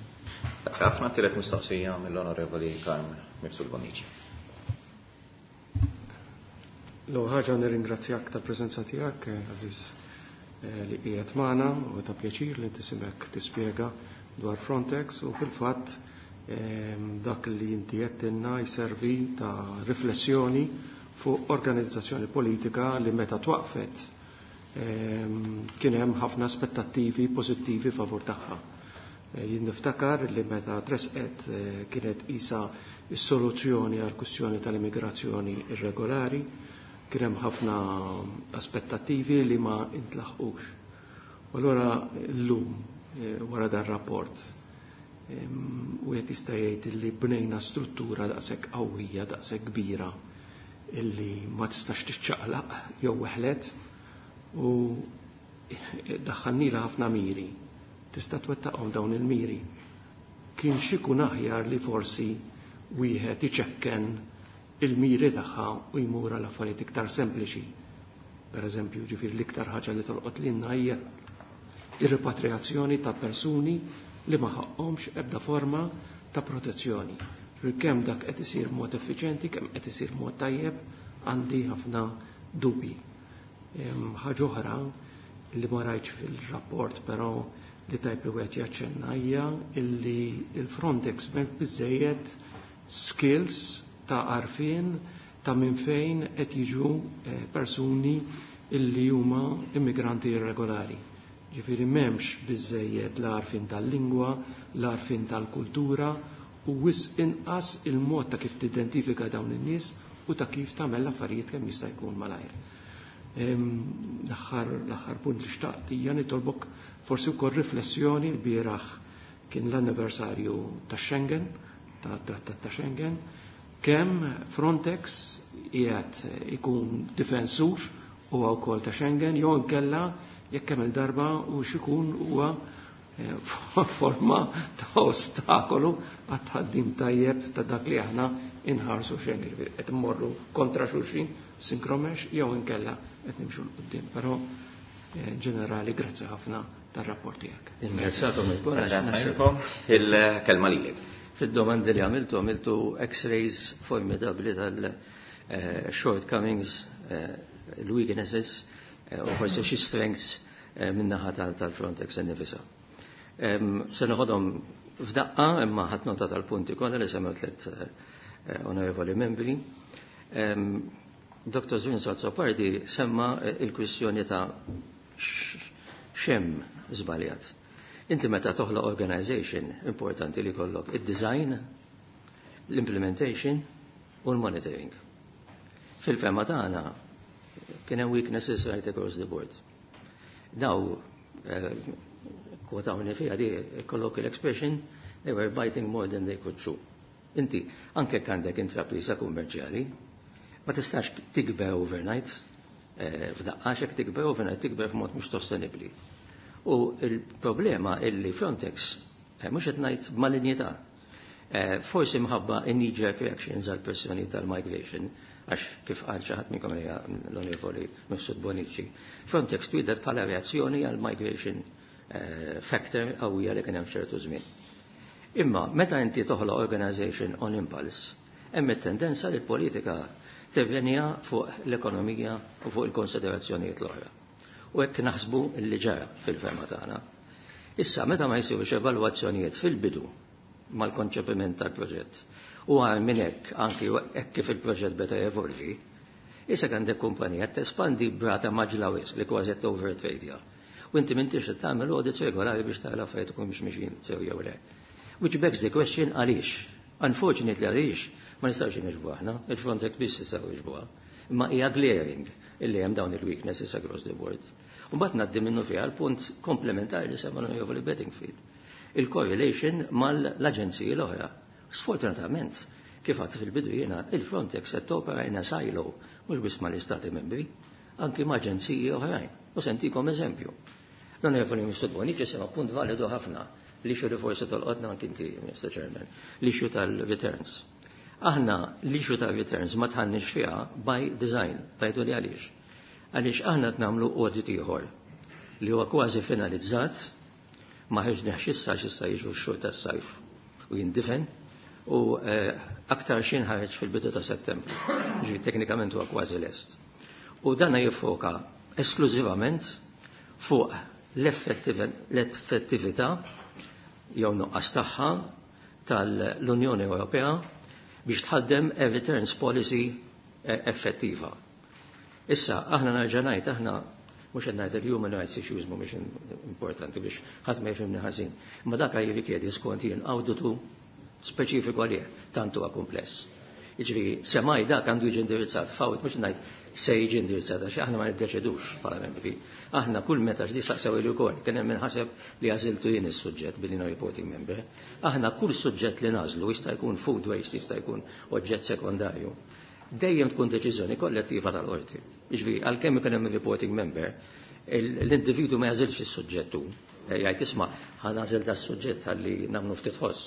Grazie ħafna. Tielet mistoqsija mill-Onorevoli Carm Mifsud Bonnici. L-ewwel ħaġa nirringrazzjak tal-preżenza tiegħek, Aziz, li qiegħed magħna, u ta' pjaċir li ntisimgħek tispjega dwar Frontex u fil-fatt dak li inti qed jservi ta' riflessjoni fuq organizzazzjoni politika li meta twaqfet kien hemm ħafna aspettattivi pożittivi favur tagħha. Jien niftakar li meta tresqet kienet isa s-soluzzjoni għal kwistjoni tal-immigrazzjoni irregolari, kien hemm ħafna aspettattivi li ma intlaħqux. U allura llum wara dan rapport wieħed jista' jgħid li bnejna struttura daqshekk qawwija, daqshekk kbira illi ma tistax tiċċaqlaq jew weħlet u daħħalnila ħafna miri. Tista' twettaqhom dawn il-miri. Kien xikun aħjar li forsi wieħed iċekken il-miri tagħha u jmur għal affarijiet iktar sempliċi. Per eżempju, ġifieri l-iktar ħaġa li tolqot lilna hija ir-repatriazzjoni ta' persuni li ma ħaqhomx ebda forma ta' protezzjoni. Kemm dak qed isir mod effiċjenti, kemm qed isir mod tajjeb, għandi ħafna dubji. Ħaġa oħra li ma rajtx fil-rapport però li tajb li wieħed jaċċenna hija illi il-Frontex m'hemm biżejjed skills ta' għarfien ta' minn fejn qed jiġu persuni illi huma immigranti irregolari. Ġifieri m'hemmx biżejjed l-għarfien tal-lingwa, l-għarfien tal-kultura u wisq inqas il-mod ta' kif tidentifika dawn in-nies u ta' kif tagħmel l-affarijiet kemm jista' jkun malajr. L-aħħar punt li xtaqt hija nitolbok forsi wkoll riflessjoni. L-bieraħ kien l-anniversarju ta' Schengen, ta' Trattat ta' Schengen, kemm Frontex qiegħed ikun difensur huwa wkoll ta' Schengen jew inkella jekk kemm il-darba u x'ikun huwa forma ta' ostakolu għat-tħaddim tajjeb ta' dak li aħna inħarsu Schengen, qed immorru kontra xulxin synchromeshh jew inkella qed nimxu 'l quddiem. Però ġenerali grazzi ħafna tar-rapport tiegħek. Ingrazzakom il-kol. Il-kelma lilek. Fid-domandi li għamiltu, għamiltu x-rays formidabli tal-shortcomings, l-weaknesses u forsi xi strengths min-naħa tal-Frontex innifisha. Se noħodhom f'daqqa, imma ħadt nota tal-punti kollha li semmew tliet onorevoli membri. Doktor Zrinzo Azzopardi semma il-kwistjoni ta' x'hemm żbaljat. Inti meta toħloq organization, importanti li jkollok id-design, l-implementation u l-monitoring. Fil-fehma tagħna kien hemm weaknesses right across the board. Daw kwotawni fiha di colloquial expression, they were biting more than they could chew. Inti, anke għandek intrapriża kummerċjali, ma tistax tikber overnight, f'daqqa xek tikber overnight, tikber f'mod mhux sostenibbli. U il-problema illi Frontex, mhux qed ngħid malinjità, forsi mħabba in-knee-jerk reactions għal pressjoni tal-migration, għax kif qal xi ħadd minnkom hija l-Onorevoli Mifsud Bonici, Frontex twieldet bħala reazzjoni għal migration factor qawwija li kien hemm ċertu żmien. Imma meta inti toħloq organization on impulse, hemm it-tendenza li l-politika tirrenja fuq l-ekonomija u fuq il-konsiderazzjonijiet l-oħra. U hekk naħsbu li ġara fil-fehma tagħna. Issa meta ma jsirux evalwazzjonijiet fil-bidu mal-konċepiment tal-proġett u għal minn hekk anki hekk kif il-proġett beda jevolvi, issa għandek kumpanija tespandi b'rata mgħaġġla wisq li kważi qed overtrade. U inti m'intix qed tagħmel audits regolari biex tara l-affarijiet ikun mhux mixjin sew jew le. Which begs the question għaliex. Unfortunately għaliex ma nistgħux inwiġbu aħna, il-Frontex biss jistgħu jwiġbuha. Imma hija glaring illi hemm dawn il-weaknesses across the board. U mbagħad ngħaddi minnu fiha l-punt komplementari li semma l-Onorevoli Bedingfield. Il-correlation mal-aġenziji l-oħra. Sfortunatament, kif għedt fil-bidu jiena, il-Frontex qed topera in a silo, mhux biss mal-Istati membri, anki ma' aġenziji oħrajn. U se ntikom eżempju. L-Onorevoli Mifsud Bonnici semma punt validu ħafna li xu li forsi tolqotna anki inti, Mister Chairman, l-issue tal-returns. Aħna l-issue tal-returns ma dħalniex fiha by design, tgħidu li għaliex. Għaliex aħna qed nagħmlu audit ieħor li huwa kważi finalizzat, ma ħriġniex issa x'issa jiġu x-xhur tas-sajf u jindifen, u aktar xi nħareġ fil-bidu ta' Settembru. Ġifieri teknikament huwa kważi lest. U dana jiffoka esklużivament fuq l-effettività jew nuqqas tagħha tal-Unjoni Ewropea biex tħaddem a returns policy effettiva. Issa, aħna nerġa' ngħid, aħna mhux qed ngħid il-human rights issues mhumiex importanti biex ħadd ma jifhimni ħażin. Imma dak jirrikjedi skont jien awditu speċifiku għalih, tant huwa kumpless. Jiġifieri, semmai dak għandu jiġi indirizzat, fawt mhux ngħid se jiġi indirizzat, għax aħna ma niddeċidux bħala membri. Aħna kull meta x'di saqsew ilu wkoll, kien hemm minħaseb li għażiltu jien is-suġġett billi no reporting member. Aħna kull suġġett li nagħżlu jista' jkun food waste, jista' jkun oġġett sekondarju. Dejjem tkun deċiżjoni kollettiva tal-qorti. Jiġifieri, għalkemm ikun hemm reporting member, l-individu ma jagħżilx is-suġġett hu. Jgħid isma' ħa nagħżel das-suġġett ħalli nagħmlu ftit ħoss.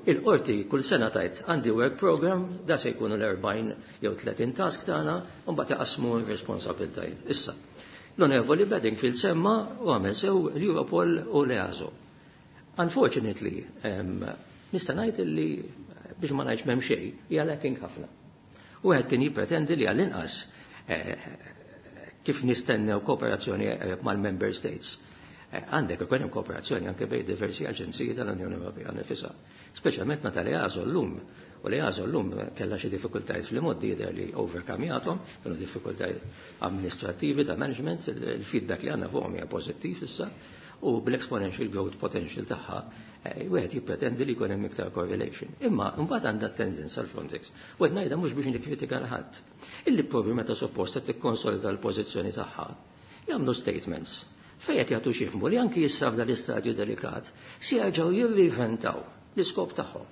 Il-qorti kull sena tgħid għandi work program, da se jkunu l-erbgħin jew tletin task tagħna, u mbagħad iqasmu r-responsabbiltajiet. Issa, l-Onorevoli Bedingfield semma u għamel sew l-Europol u l-EASO. Unfortunately, nista' ngħid li biex ma ngħidx m'hemm xejn, hija lacking ħafna. U wieħed kien jippretendi li għall-inqas kif nistennew kooperazzjoni mal-Member States. Għandek ikun hemm kooperazzjoni anke bejn diversi aġenziji tal-Unjoni Ewropea nifisha. Speċjalment meta l-EASO llum, u l-EASO llum kellha xi diffikultajiet fl-imgħoddi jidher li overcome-jathom, kienu diffikultajiet amministrattivi ta' management, il-feedback li għandna fuqhom hija pożittiv issa, u bl-exponential growth potential tagħha wieħed jippretendi li jkun hemm iktar correlation. Imma mbagħad għandha tendenza l-Frontex. U qed ngħidha mhux biex nikkritika 'l ħadd. Illi propju meta suppost qed tikkonsolida l-pożizzjoni tagħha, jagħmlu statements fejn qed jagħtu x'jifhmu li anki issa f'dan l-istadju delikat se jerġgħu jirriventaw l-iskop tagħhom.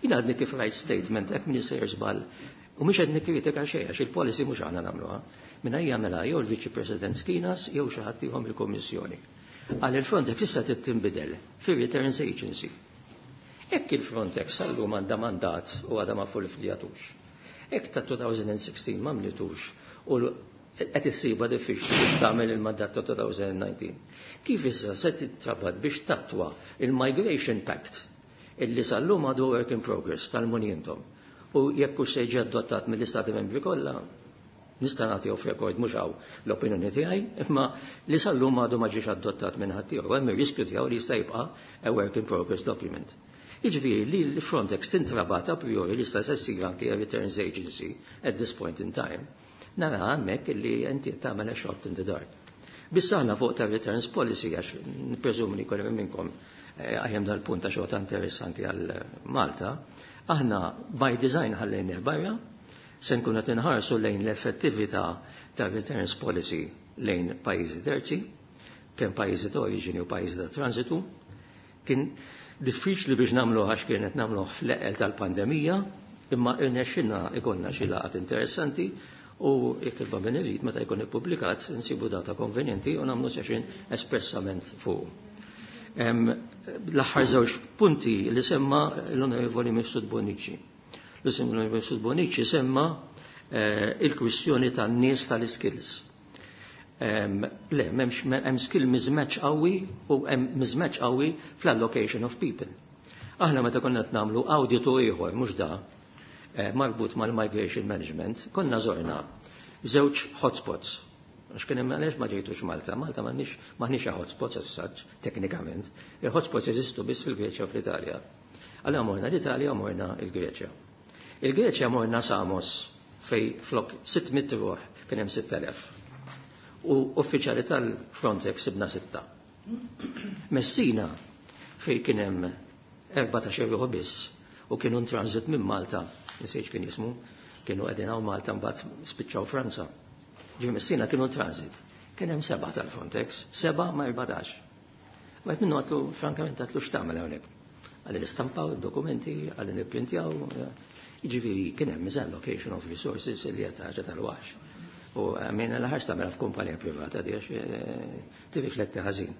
Jien għadni kif rajt statement hekk min sejjer żball u mhux qed nikkritika xejn għax il-policy mhux aħna nagħmluha. Minna jagħmilha jew il-Viċi President Schinas jew xi ħadd ieħor mill-Kummissjoni. Għal il-Frontex issa trid tinbidel fir-Returns Agency. Hekk il-Frontex sal-lum għandha mandat u għadha ma fulfilljatux. Hekk ta' elfejn u sittax ma mlitux u qed issibha diffiċli biex tagħmel il-mandat ta' elfejn u dsatax. Kif issa se titrabat biex tattwa il-Migration Pact illi sal-lum għadu work in progress tal-munjentom u jekk hux se jiġi adottat mill-Istati Membri kollha, nista' nagħti off record mhux hawn l-opinjoni tiegħi, imma li sal-lum għadu ma ġiex adottat minn ħadd ieħor, hemm ir-riskju tiegħu li jista' jibqa' a work in progress document. Jiġifieri li l-Frontex tintrabat a priori li sta se ssir anke a Returns Agency at this point in time. Nara hemmhekk illi inti tagħmel a shot in the dark. Biss aħna fuq ta' returns policy, għax nippreżumi li kollu minnkom għajem dal-punt ta' xogħol ta' interess anke għal Malta, aħna by design ħallejnih barra, se nkunu qed inħarsu lejn l-effettività ta' returns policy lejn pajjiżi terzi, kemm pajjiżi ta' oriġini u pajjiżi ta' transitu. Kien diffiċli biex nagħmlu għax kienet nagħmluh fl-eqqel tal-pandemija, imma irnexxilna ikollna xi laqgħat interessanti u jekk il-Bambin irid meta jkun ippubblikat nsibu data konvenjenti u nagħmlu session espressament fuq. L-aħħar żewġ punti li semma l-Onorevoli Mifsud Bonnici. L-Onorevoli Mifsud Bonnici semma il-kwistjoni tan-nies tal-skills. Le, m'hemmx hemm skill mismatch qawwi u hemm mismatch qawwi fl-allocation of people. Aħna meta konna qed nagħmlu auditu ieħor mhux da marbut mal-migration management, konna żorna żewġ hotspots. Għax kien hemm għaliex ma ġejtux Malta, Malta m'għandniex m'aħniex hotspots as such, teknikament. Il-hotspots jeżistu biss fil-Greċja u fl-Italja. Allura morna l-Italja u morna l-Greċja. Il-Greċja morna Samos fej flok sitt mitt ruħ kien hemm sitt elef. U uffiċjali tal-Frontex sibna sitta. Messina fej kien hemm erbatax-il ruħ biss u kienu transit minn Malta, nisejx kien jismu, kienu qegħdin hawn Malta mbagħad spiċċaw Franza. Ġi Messina kienu transit. Kien hemm seba' tal-Frontex, seba' ma' erbatax. Wieħed minnu għatlu, frankament għatlu x'tagħmel hawnhekk. Għalli nistampaw id-dokumenti, għalli nipprintjaw, jiġifieri kien hemm misallocation of resources li qed ħaġa tal-waħx. U għamilna l-ħarс tagħmilha f'kumpanija privata di għax tirrifletti ħażin.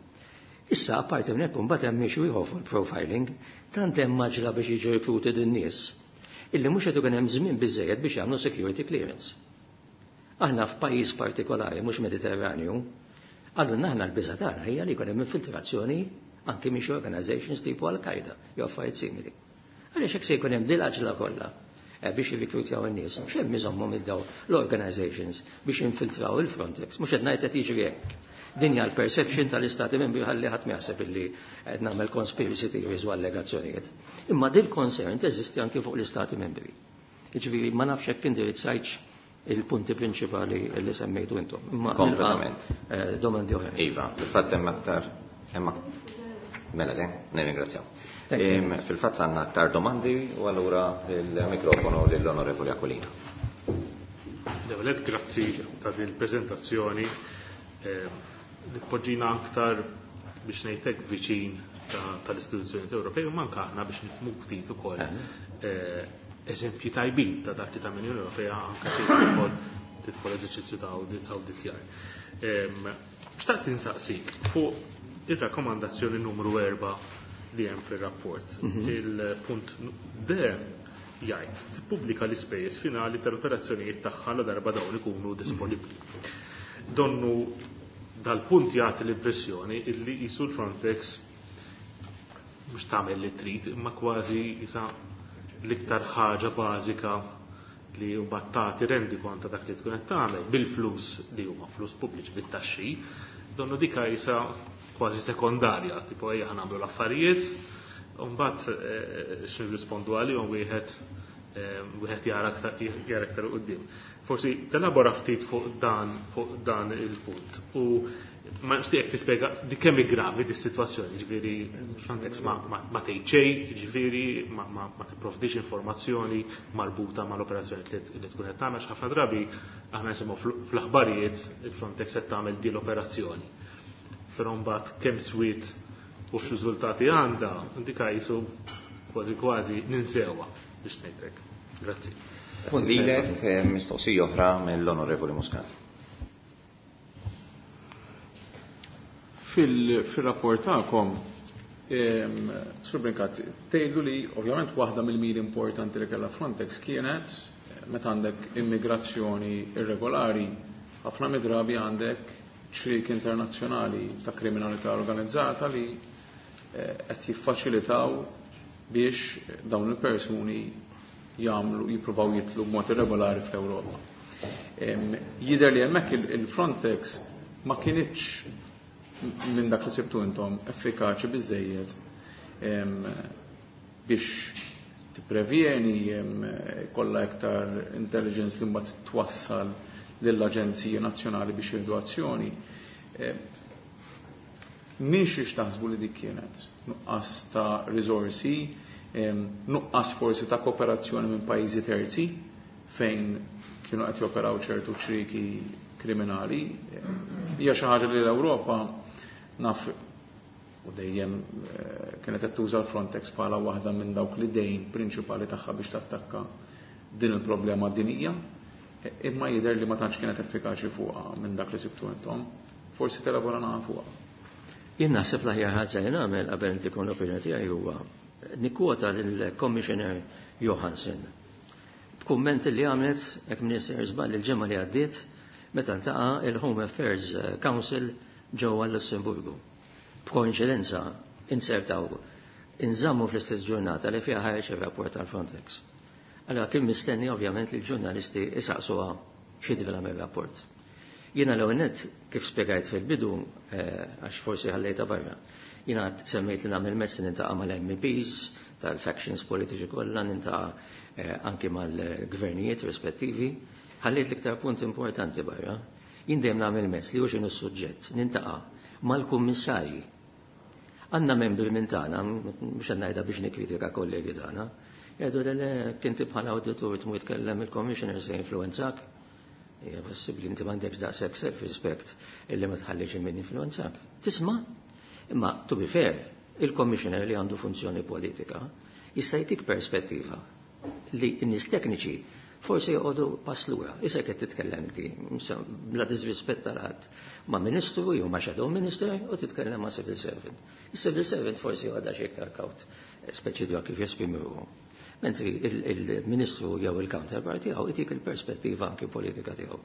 Issa, apparti minn hekk imbagħad hemm issue ieħor fuq profiling, tant hemm maġla biex jiġu recruited in-nies illi mhux qed ikun hemm żmien biżejjed biex jagħmlu security clearance. Aħna f'pajjiż partikolari mhux Mediterranju, allura aħna l-biża' tagħna hija li jkun hemm infiltrazzjoni anki minn xi organizations tipo Al-Qaeda jew affarijiet simili. Għaliex hekk se jkun hemm dil-għaġla kollha biex jirrikrutjaw in-nies, x'hemm iżommhom id-daw l-organizations biex jinfiltraw il-Frontex, mhux qed ngħid qed jiġri hekk. Din hija l-perception tal-istati membri ħalli ħadd ma jaħseb illi qed nagħmel conspiracy theories u allegazzjonijiet. Imma dil concern teżisti anki fuq l-istati membri. Jiġifieri ma nafx hekk indirizzajtx il-punti prinċipali li semmejtu intom. Imma Kompletament. nilqa' domandi oħra. Iva, fil-fatt hemm aktar hemm Mela le, nirringrazzjaw. Fil-fatt għandna aktar domandi u allura il-mikrofonu lill-Onorevoli Aquilina. L-ewwel grazzi ta' din il-preżentazzjoni li tpoġġina aktar biex ngħidlek viċin tal-istituzzjonijiet Ewropej u manka aħna biex nifhmu ftit ukoll eżempji tajbin ta' dak li ta' l-Unjoni Ewropea anke tidħol tidħol eżerċizzju ta' audit awditjar. Xtaqt insaqsik fuq ir-rakkomandazzjoni numru erba' li hemm fir-rapport. Il-punt D jgħid tippubblika l-ispejjeż finali tal-operazzjonijiet tagħha la darba dawn ikunu disponibbli. Donnu dal-punt jagħti l-impressjoni illi qisu l-Frontex mhux tagħmel li trid imma kważi jisa l-iktar ħaġa bażika li mbagħad tagħti rendikont ta' dak li tkun qed tagħmel bil-flus li huma flus pubbliċi bit-taxxi, donnu dika isa kważi sekondarja, tipo ejja ħa nagħmlu l-affarijiet, u mbagħad eh, x'nirrispondu għalihom wieħed eh, wieħed jara aktar jara aktar quddiem. Forsi telabora ftit fuq dan fuq dan il-punt. U ma nixtieqek tispjega di kemm hi gravi di sitwazzjoni, ġifieri Frontex ma, ma, ma tgħid xejn, ġifieri ma, ma, ma tipprovdix informazzjoni marbuta mal-operazzjoni li, li tkun qed tagħmel ħafna drabi aħna nisimgħu fl-aħbarijiet il-Frontex qed tagħmel di l-operazzjoni. Però mbagħad kemm swiet u x'riżultati għandha, dika jisu kważi kważi ninsewha biex ngħidlek. Grazzi. Grazzi lilek, eh, mistoqsija oħra mill-Onorevoli Muscat. Fil-rapport tagħkom, Sur Brincat, tgħidu li ovvjament waħda mill-miri importanti li kellha Frontex kienet eh, meta għandek immigrazzjoni irregolari, ħafna mid-drabi għandek ċriek internazzjonali ta' kriminalità organizzata li eh, qed jiffaċilitaw biex dawn il-persuni jagħmlu jippruvaw jitlu b'mod irregolari fl-Ewropa. Jidher li hemmhekk il-Frontex ma kinitx minn dak li sibtu intom effikaċi biżejjed biex tipprevjeni kollha iktar intelligence li mbagħad twassal lill-aġenziji nazzjonali biex jieħdu azzjoni. Min xiex taħsbu li dik kienet? Nuqqas ta' risorsi, nuqqas forsi ta' kooperazzjoni minn pajjiżi terzi fejn kienu qed joperaw ċertu ċriki kriminali. Hija xi ħaġa li l-Ewropa naf u dejjem eh, kienet qed tuża l-Frontex bħala waħda minn dawk l-idejn prinċipali tagħha biex tattakka din il-problema dinija, imma jidher li ma tantx kienet effikaċi fuqha minn dak li sibtu intom. Forsi telabora nagħha fuqha. Jien naħseb l-aħjar ħaġa li nagħmel qabel intikom l-opinjoni tiegħi huwa nikkwota lill-Commissioner Johansson. B'kumment li għamlet hekk Minister żball il-ġimgħa li għaddiet meta ntaqa' il-Home Affairs Council ġewwa Lussemburgu. B'koinċidenza insertaw inżammu fl-istess ġurnata li fiha ħareġ ir-rapport tal-Frontex. Allora kien mistenni ovvjament li l-ġurnalisti isaqsuha xi tivela mir-rapport. Jiena l nett kif spjegajt fil-bidu, għax forsi ħallejta barra, jiena semmejt li nagħmel mezz nintaqa' mal-M Ps tal-factions politiċi kollha, nintaqa' anki mal-gvernijiet rispettivi, ħallejt l-iktar punt importanti barra. Jien dejjem nagħmel mezz li hu x'inhu s-suġġett, nintaqa' mal-kummissarji. Għandna membri minn tagħna, mhux qed ngħidha biex nikkritika kollegi tagħna, jgħidu li le kinti bħala awditur tmur tkellem il-commissioner se influenzak. Hija possibbli inti m'għandekx daqshekk self-respect illi ma tħallix min influenzak. Tisma' imma to be fair, il-commissioner li għandu funzjoni politika jista' jtik perspettiva li n-nies tekniċi forsi joqogħdu pass lura. Issa qed titkellem inti bla disrispett tal-ħadd ma' ministru jew ma' shadow minister u titkellem ma' civil servant. Il-civil servant forsi għadha xi iktar kawt, speċi dwar kif jesprimi ruħu. Mentri il-ministru jew il-counterpart tiegħu itik il-perspettiva anki politika tiegħu.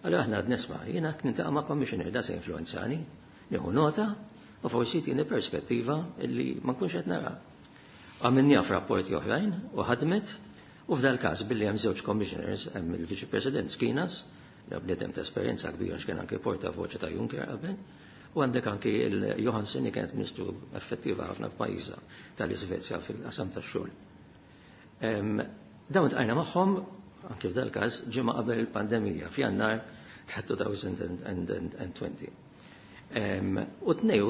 Allora aħna għad nisma' jiena nintaqa' ma' commissioner da se influenzani, nieħu nota u forsi tieni perspettiva illi ma nkunx qed nara. Għamilniha f'rapporti oħrajn u ħadmet u f'dal każ billi hemm żewġ commissioners, hemm il-Viċi President Skinas, li bniedem ta' esperjenza kbira x'kien anke portavoce ta' Juncker qabel, u għandek anki il-Johansson li kienet ministru effettiva ħafna f'pajjiżha tal-Iżvezja fil-qasam tax-xogħol. Dawn tqajna magħhom anke f'dal każ ġimgħa qabel il-pandemija f'Jannar ta' elfejn u għoxrin. U tnej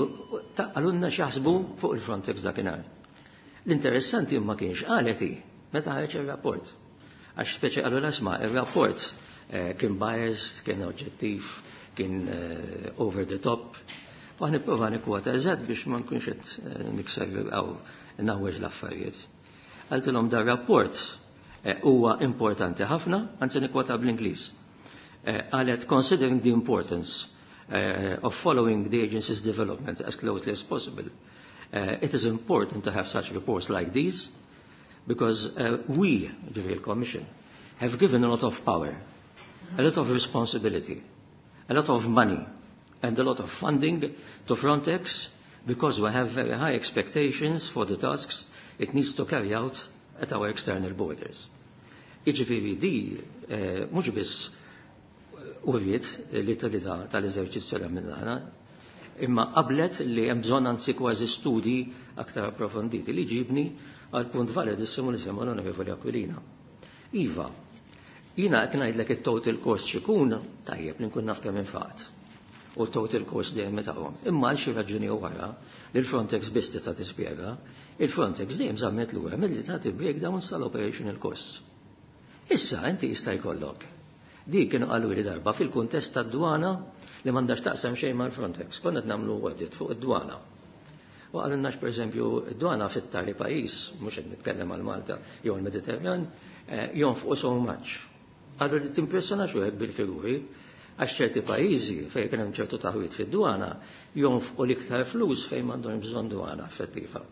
qalulna x'jaħsbu fuq il-Frontex dakinhar. L-interessanti ma kienx qalet hi meta ħareġ ir-rapport. Għax speċi qalu l-asma, ir-rapport kien biased, kien oġġettiv, kien over the top. U għan nipprova nikkwota eżatt biex ma nkunx qed nikser għaw nawweġ l-affarijiet. Qaltilhom dar rapport huwa importanti ħafna, anzi nikkwota bl-Ingliż. Qalet considering the importance of following the agency's development as closely as possible, uh, it is important to have such reports like these because uh, we, the Real Commission, have given a lot of power, a lot of responsibility, a lot of money, and a lot of funding to Frontex because we have very high expectations for the tasks it needs to carry out at our external borders. Jiġifieri di eh, mhux biss uriet l-utilità tal-eżerċizzju li għamilna aħna, imma qablet li hemm bżonn anzi kważi studi aktar approfonditi li ġibni għal punt validissimu li semma l-Onorevoli Aquilina. Iva, jiena qed ngħidlek it-total cost x'ikun, tajjeb li nkun naf kemm infaqt. U total cost dejjem tagħhom. Imma għal xi raġuni wara li l-Frontex biss tista' tispjega, il-Frontex dejjem żammet lura milli tagħti breakdowns tal-operational costs. Issa inti jista' jkollok. Di kienu qalu li darba fil-kuntest tad-dwana li m'għandax taqsam xejn mal-Frontex. Konna qed nagħmlu audit fuq id-dwana. U qalulna pereżempju id-dwana fit-tali pajjiż, mhux qed nitkellem għal Malta jew il-Mediterran, eh, jonfqu so much. Qalu li timpressjona xi bil-figuri, għax ċerti pajjiżi fejn kien hemm ċertu taħwit fid-dwana jonfqu l-iktar flus fejn m'għandhom bżonn dwana effettiva.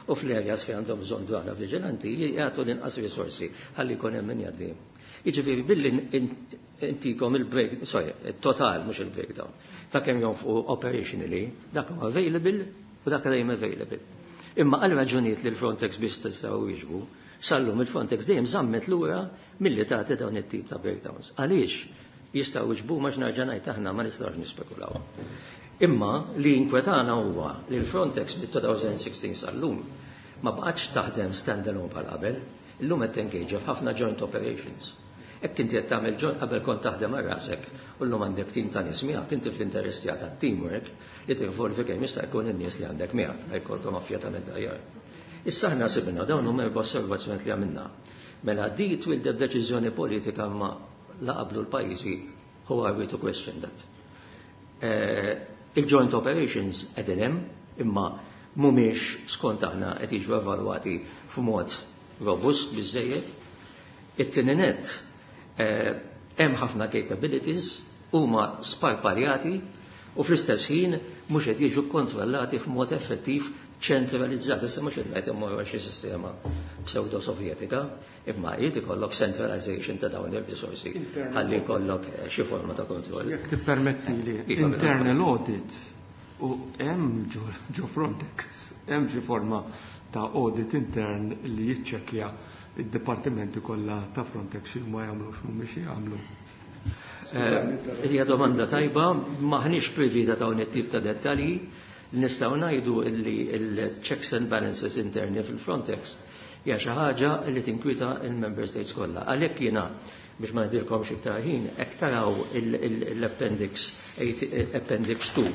U fl-areas fejn għandhom bżonn dwana viġilanti jagħtu l-inqas risorsi ħalli jkun hemm min jgħaddi. Jiġifieri billi intikom il-break, sorry, il-total mhux il-breakdown, ta' kemm jonfqu operationally, dak huwa available u dak dejjem available. Imma għal raġunijiet li l-Frontex biss tistgħu jiġbu, sallum il-Frontex dejjem żammet lura milli tagħti dawn it-tip ta' breakdowns. Għaliex jistgħu jiġbu ma nerġa' ngħid aħna ma nistgħux nispekulaw. Imma li inkwetana huwa li l-Frontex bit-elfejn u sittax sal-lum ma baqgħetx taħdem standalone bħal qabel, illum qed tengage f'ħafna joint operations. Hekk inti qed tagħmel joint, qabel kont taħdem għal rasek u llum għandek tim ta' nies miegħek, inti fl-interess tiegħek tat-teamwork li tinvolvi kemm jista' jkun in-nies li għandek miegħek, jkollkom affjatament aħjar. Issa aħna sibna dawn huma erba' osservazzjonijiet li għamilna. Mela di twildet deċiżjoni politika ma la qablu l-pajjiżi, who are we to question that? Eh, il-joint operations qegħdin hemm, imma mhumiex skont aħna qed jiġu evalwati f'mod robust biżejjed. It-tieni net, eh, hemm ħafna capabilities huma sparpaljati u fl-istess ħin mhux qed jiġu kontrollati f'mod effettiv ċentralizzat. Issa mhux qed ngħid immorru xi sistema pseudo-sovjetika, imma jrid ikollok centralization ta' dawn ir-risorsi ħalli jkollok eh, xi forma ta' kontroll. Jekk tippermetti li Iva, internal audit u hemm ġo Frontex, hemm xi forma ta' audit intern li jiċċekkja id-dipartimenti kollha ta' Frontex xi ma jagħmlux mhumiex jagħmlu? Eh, hija domanda tajba, m'aħniex privy ta' dawn it-tip ta' dettalji. Nistgħu ngħidu li l-checks and balances interni fil-Frontex hija xi ħaġa li tinkwita il-member states kollha. Għalhekk jiena biex ma ngħidilkomx iktar ħin, hekk taraw l-appendix appendix two.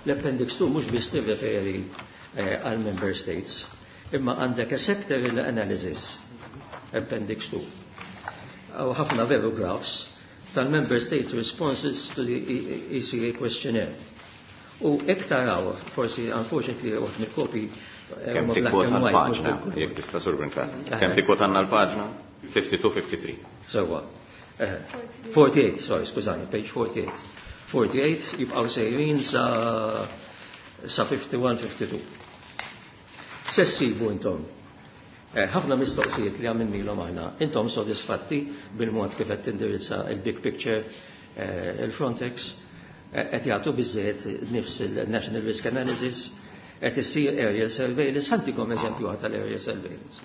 L-appendix two mhux biss tirreferi eh, għal member states, imma għandek a sectoral analysis, appendix two. U ħafna veru graphs tal-member state responses to the E C A questionnaire. U hekk taraw, forsi unfortunately uħt mill-kopi eh, Kemm huma black tikkwota and white, mhux l-paġna, bil-kulur. Jekk tista' Sur Brincat. Kemm tikkwotanna l-paġna? tnejn u ħamsin tlieta u ħamsin. Sewwa. Eh, erbgħa u erbgħin, sorry, skużani, page forty-eight. erbgħa u erbgħin jibqgħu sejrin sa sa wieħed u ħamsin tnejn u ħamsin. Se ssibu intom eh, ħafna mistoqsijiet li għamilnilhom aħna. Intom sodisfatti bil-mod kif qed tindirizza il-big picture eh, il-Frontex, eh, qed jagħtu biżejjed nifs il-National Risk Analysis, qed issir aerial surveillance, ħa ntikom eżempju tal-aerial surveillance.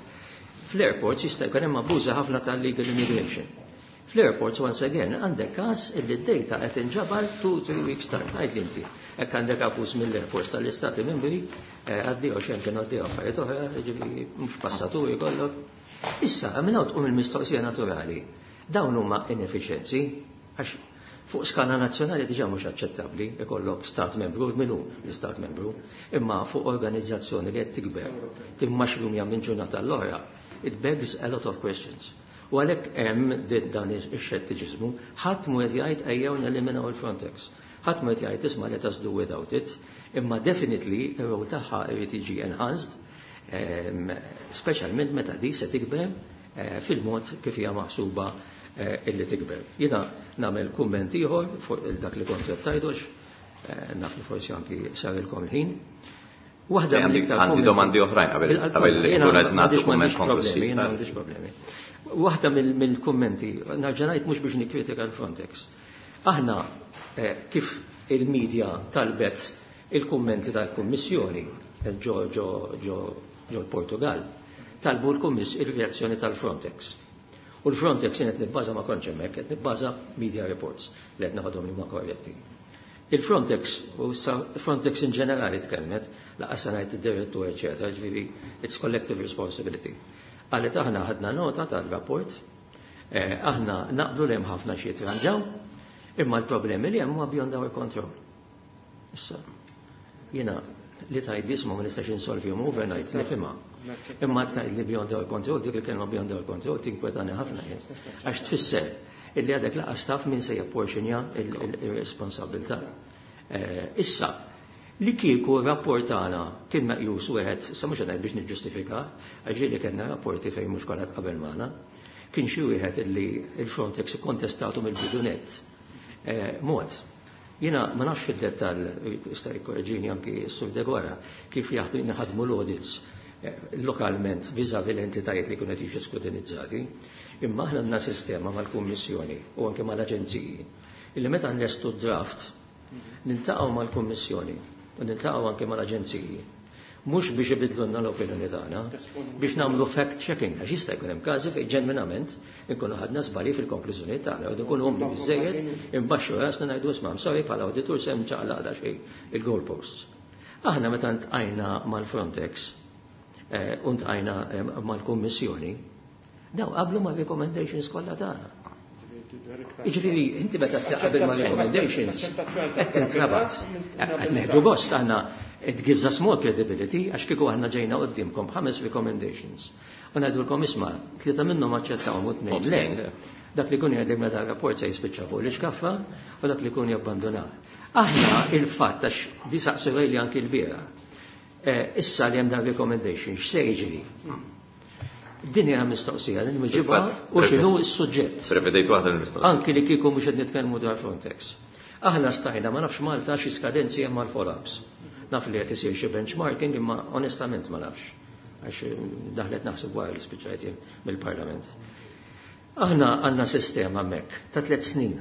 Fl-airports jista' jkun hemm abbuża ħafna tal-legal immigration. Fl-airports, once again, għandek każ illi d-data qed inġabar two three weeks time, tgħid inti. Hekk għandek abbuż mill-airports tal-istati membri, eh, għaddew xejn kienu għaddew affarijiet oħra, ġifieri mhux passaturi kollok. Issa, minn hawn tqum il-mistoqsija naturali. Dawn huma inefficiency, għax fuq skala nazzjonali diġà mhux aċċettabbli ikollok stat membru, min hu l-istat membru, imma fuq organizzazzjoni li qed tikber, timmaxrumja minn ġurnata l-oħra, it begs a lot of questions. U għalhekk hemm dan ix-xettiċiżmu, ħadd mu qed jgħid ejjew neliminaw il-Frontex. Ħadd mu qed jgħid isma' let us do without it, imma definitely ir-rol tagħha irid jiġi enhanced, ehm, speċjalment meta di se tikber eh, fil-mod kif hija maħsuba eh, illi tikber. Jiena nagħmel kumment ieħor fuq dak li kont qed tgħidux, eh, naf li forsi anki sarilkom il-ħin. Waħda mill-iktar għandi domandi oħrajn qabel qabel ikun qed nagħtu kumment konklusiv. Jiena m'għandix problemi. Waħda mill-kummenti, nerġa' ngħid mhux biex nikkritika l-Frontex. Aħna kif il-medja talbet il-kummenti tal-Kummissjoni ġo ġo ġo ġo l-Portugal, Talbu l-kummiss il-reazzjoni tal-Frontex. U l-Frontex jien qed nibbaża, ma kontx hemmhekk, qed nibbaża media reports li qed naħodhom li huma korretti. Il-Frontex, u Frontex in ġenerali tkellmet, lanqas ngħid id-direttur, eċetera, ġifieri it's collective responsibility. Qalet aħna ħadna nota tal-rapport, eh, aħna naqblu li hemm ħafna xi jitranġaw, imma l-problemi li hemm huma beyond our control. Issa, jiena li tgħid li isma' ma nistax insolvihom overnight nifhimha. Imma tgħid li beyond our control, dik il-kelma beyond our control tinkwetani ħafna jien. Għax tfisser illi għadek lanqas taf min se japporxinja il-responsabilità. Eh, issa, li kieku rapport tagħna kien meqjus wieħed, sa mhux qed biex niġġustifika, għax li kellna rapporti fejn mhux kollha qabel magħna, kien xi wieħed illi il-Frontex ikkontestatu mill-bidu nett. Eh, mod, jiena ma nafx fid-dettall, jista' jikkoreġini anki s-Sur Degora, kif jaħdu naħadmu l-audits eh, lokalment vis-à-vis l-entitajiet li kienu jiġu skrutinizzati, imma aħna għandna sistema mal-Kummissjoni u anke mal-Aġenziji illi meta nlestu draft niltaqgħu mal-Kummissjoni u niltaqgħu anke mal-Aġenziji mhux biex ibidlulna l-opinjoni tagħna, biex nagħmlu fact checking, għax jista' jkun hemm każi fejn ġenwinament inkunu ħadna żbalji fil-konklużjoni tagħna, u nkunu umli biżejjed imbaxxu rasna ngħidu isma' sorry bħala awditur se mċaqlaq xejn il-goalposts. Aħna meta ntqajna mal-Frontex eh, u ntqajna eh, mal-Kummissjoni, daw qablu ma' recommendations kollha tagħna. Jiġifieri, inti meta taqbel ma' recommendations, qed tintrabat. Qed neħdu gost aħna it gives us more credibility għax kieku aħna ġejna quddiemkom ħames recommendations. U ngħidulkom isma' tlieta minnhom aċċettawhom u tnejn le. Dak li kun jgħidlek meta rapport se jispiċċa fuq l-iskaffa u dak li kun jabbanduna. Aħna il-fatt għax di saqsew li anki l-bieraħ. Eh, issa li hemm dan recommendation, x'se jiġri? Din hija mistoqsija li nweġibha u x'inhu s-suġġett. Prevedejt waħda l-mistoqsija. Anki li kieku mhux qed nitkellmu dwar Frontex. Aħna stajna ma nafx Malta xi skadenzi hemm mal-follow-ups. Naf li qed isir xi benchmarking imma onestament ma nafx. Għax daħlet naħseb wara li spiċċajt mill-Parlament. Aħna għandna sistema hemmhekk ta' tliet snin.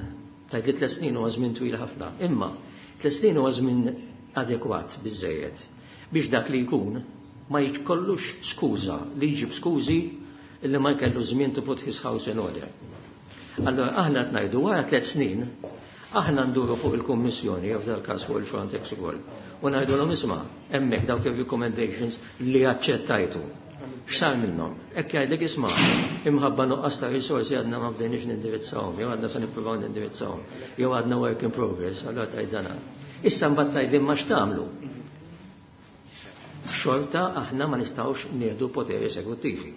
Ta' li tliet snin huwa żmien twil ħafna. Imma tliet snin huwa żmien adekwat biżejjed biex dak li jkun ma jkollux skuża li jġib skużi illi ma jkellu żmien to put his house in order. Allora aħna qed ngħidu wara tliet snin aħna nduru fuq il-Kummissjoni jew f'dal każ fuq il-Frontex ukoll u ngħidulhom isma' hemmhekk dawk ir-recommendations li aċċettajtu. X'sar minnhom? Hekk jgħidlek isma' imħabba nuqqas ta' risorsi għadna ma bdejniex nindirizzawhom, jew għadna se nippruvaw nindirizzawhom, jew għadna work in progress, allura tgħid dana. Issa mbagħad tgħidli ma x'tagħmlu. Xorta aħna ma nistgħux nieħdu poteri esekuttivi.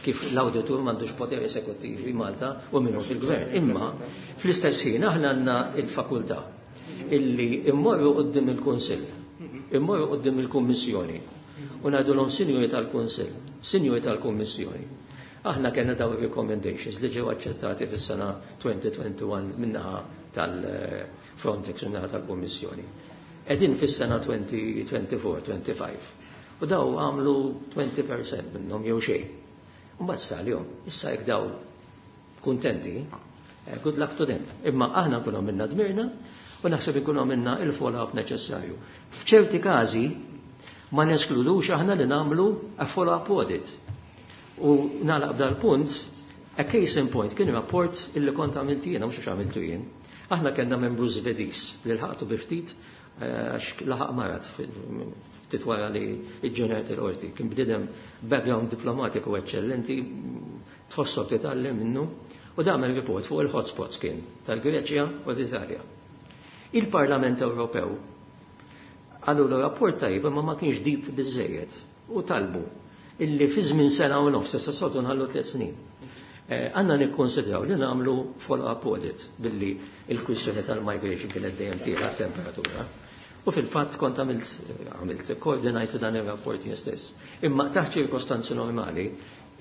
Kif l-auditur m'għandux poteri esekuttivi Malta u minnu fil-gvern. Imma fl-istess ħin aħna għandna il-fakultà illi immorru quddiem il-Kunsill, immorru quddiem il-Kummissjoni u ngħidulhom sinjuri tal-Kunsill, sinjuri tal-Kummissjoni. Aħna kellna daw recommendations li ġew aċċettati fis-sena elfejn u wieħed u għoxrin min-naħa tal-Frontex u min-naħa tal-Kummissjoni. Qegħdin fis-sena elfejn u erbgħa u għoxrin, tnejn u għoxrin. U daw għamlu għoxrin fil-mija minnhom jew xejn. U mbagħad sal-jum, issa jekk daw kuntenti, eh, good luck to them. Imma aħna nkunu minna dmirna u naħseb ikunu minna il-follow-up neċessarju. F'ċerti każi ma neskludux aħna li nagħmlu a follow-up audit. U nagħlaq dal-punt, a case in point kien rapport illi kont għamilt jiena, mhux għax għamiltu jien. Aħna kellna membru Svediż li lħaqtu bi ftit eh, għax laħaq marad ftit wara li ġġenerat il-qorti. Kien bniedem background diplomatiku eccellenti, tħossok titgħallem minnu, u għamel report fuq il-hotspots kien tal-Greċja u l-Italja. Il-Parlament Ewropew għallu l-rapport tajib imma ma kienx deep biżejjed u talbu illi fi żmien sena u nofs, issa soltu nħallu tliet snin. Eh, għandna nikkonsidraw li nagħmlu follow-up audit billi il-kwistjoni tal-migration kienet dejjem tiela temperatura. U fil-fatt kont għamilt għamilt koordinajt dan ir-rapport jien stess. Imma taħt ċirkostanzi normali,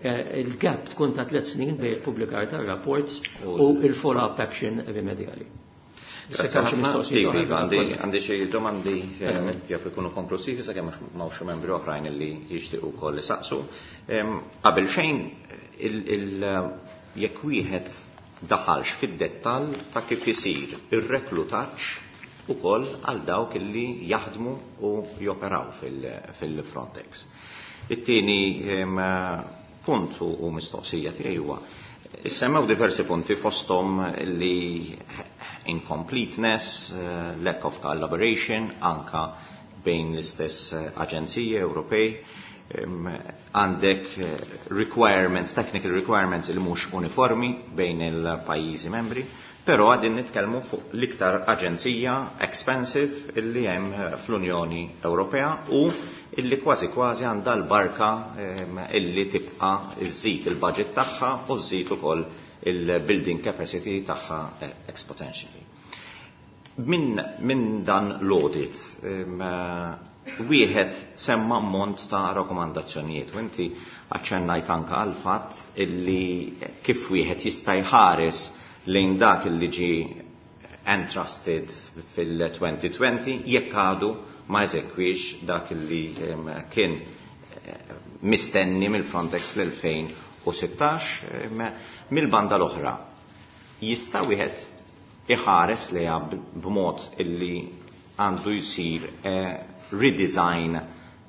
eh, il-gap tkun ta' tliet snin bejn il-pubblikar tar-rapport u il-follow-up action rimedjali. Iva, iva, għandi xi domandi eh, jaf ikunu konklusivi sakemm m'hawnx membri oħrajn li jixtiequ wkoll isaqsu. Qabel xejn jekk wieħed daħalx fid-dettall ta' kif isir ir-reklutaġġ ukoll għal dawk illi jaħdmu u joperaw fil-Frontex. It-tieni Punt u mistoqsija tiegħi huwa issemmew diversi punti fosthom li incompleteness, lack of collaboration, anka bejn l-istess aġenziji Ewropej, għandek requirements, technical requirements il mhux uniformi bejn il-pajjiżi membri, però għadin nitkellmu fuq l-iktar aġenzija expensive illi hemm fl-Unjoni Ewropea u illi kważi kważi għandha l-barka illi tibqa' iżżid il-budget tagħha u żżid ukoll il-building capacity tagħha exponentially. Min, min dan l-audit, wieħed semma ammont ta' rakkomandazzjonijiet u inti aċċennajt anka għal fatt illi kif wieħed jista' jħares lejn dak illi ġie entrusted fil-twenty twenty jekk għadu ma eżekwix dak illi kien mistenni mill-Frontex fl-elfejn u sittax. Mill-banda l-oħra jista' wieħed iħares lejha b'mod illi għandu jsir redesign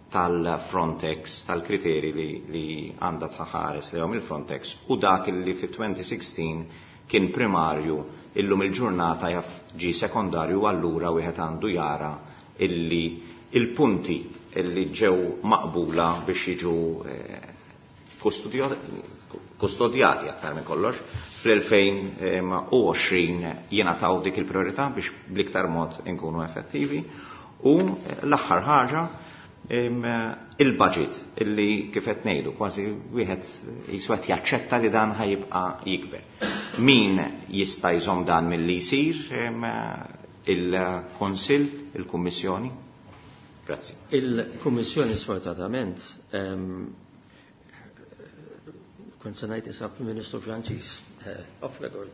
tal-Frontex, tal-kriteri li, li għandha tħares lejhom il-Frontex u dak illi fi twenty sixteen kien primarju illum il-ġurnata jaf ġi sekondarju, allura wieħed għandu jara illi il-punti illi ġew maqbula biex jiġu kustodjati aktar minn kollox fl-elfejn u għoxrin jingħataw dik il-priorità biex bl-iktar mod inkunu effettivi. U l-aħħar ħaġa il-budget illi kif qed ngħidu kważi wieħed jiswa qed jaċċetta li dan ħajibqa' jikber. Min jista' jżomm dan milli jsir? Il-Kunsill, il-Kummissjoni? Grazzi. Il-Kummissjoni sfortunatament kont se ngħid isab Ministru Franċiż off record,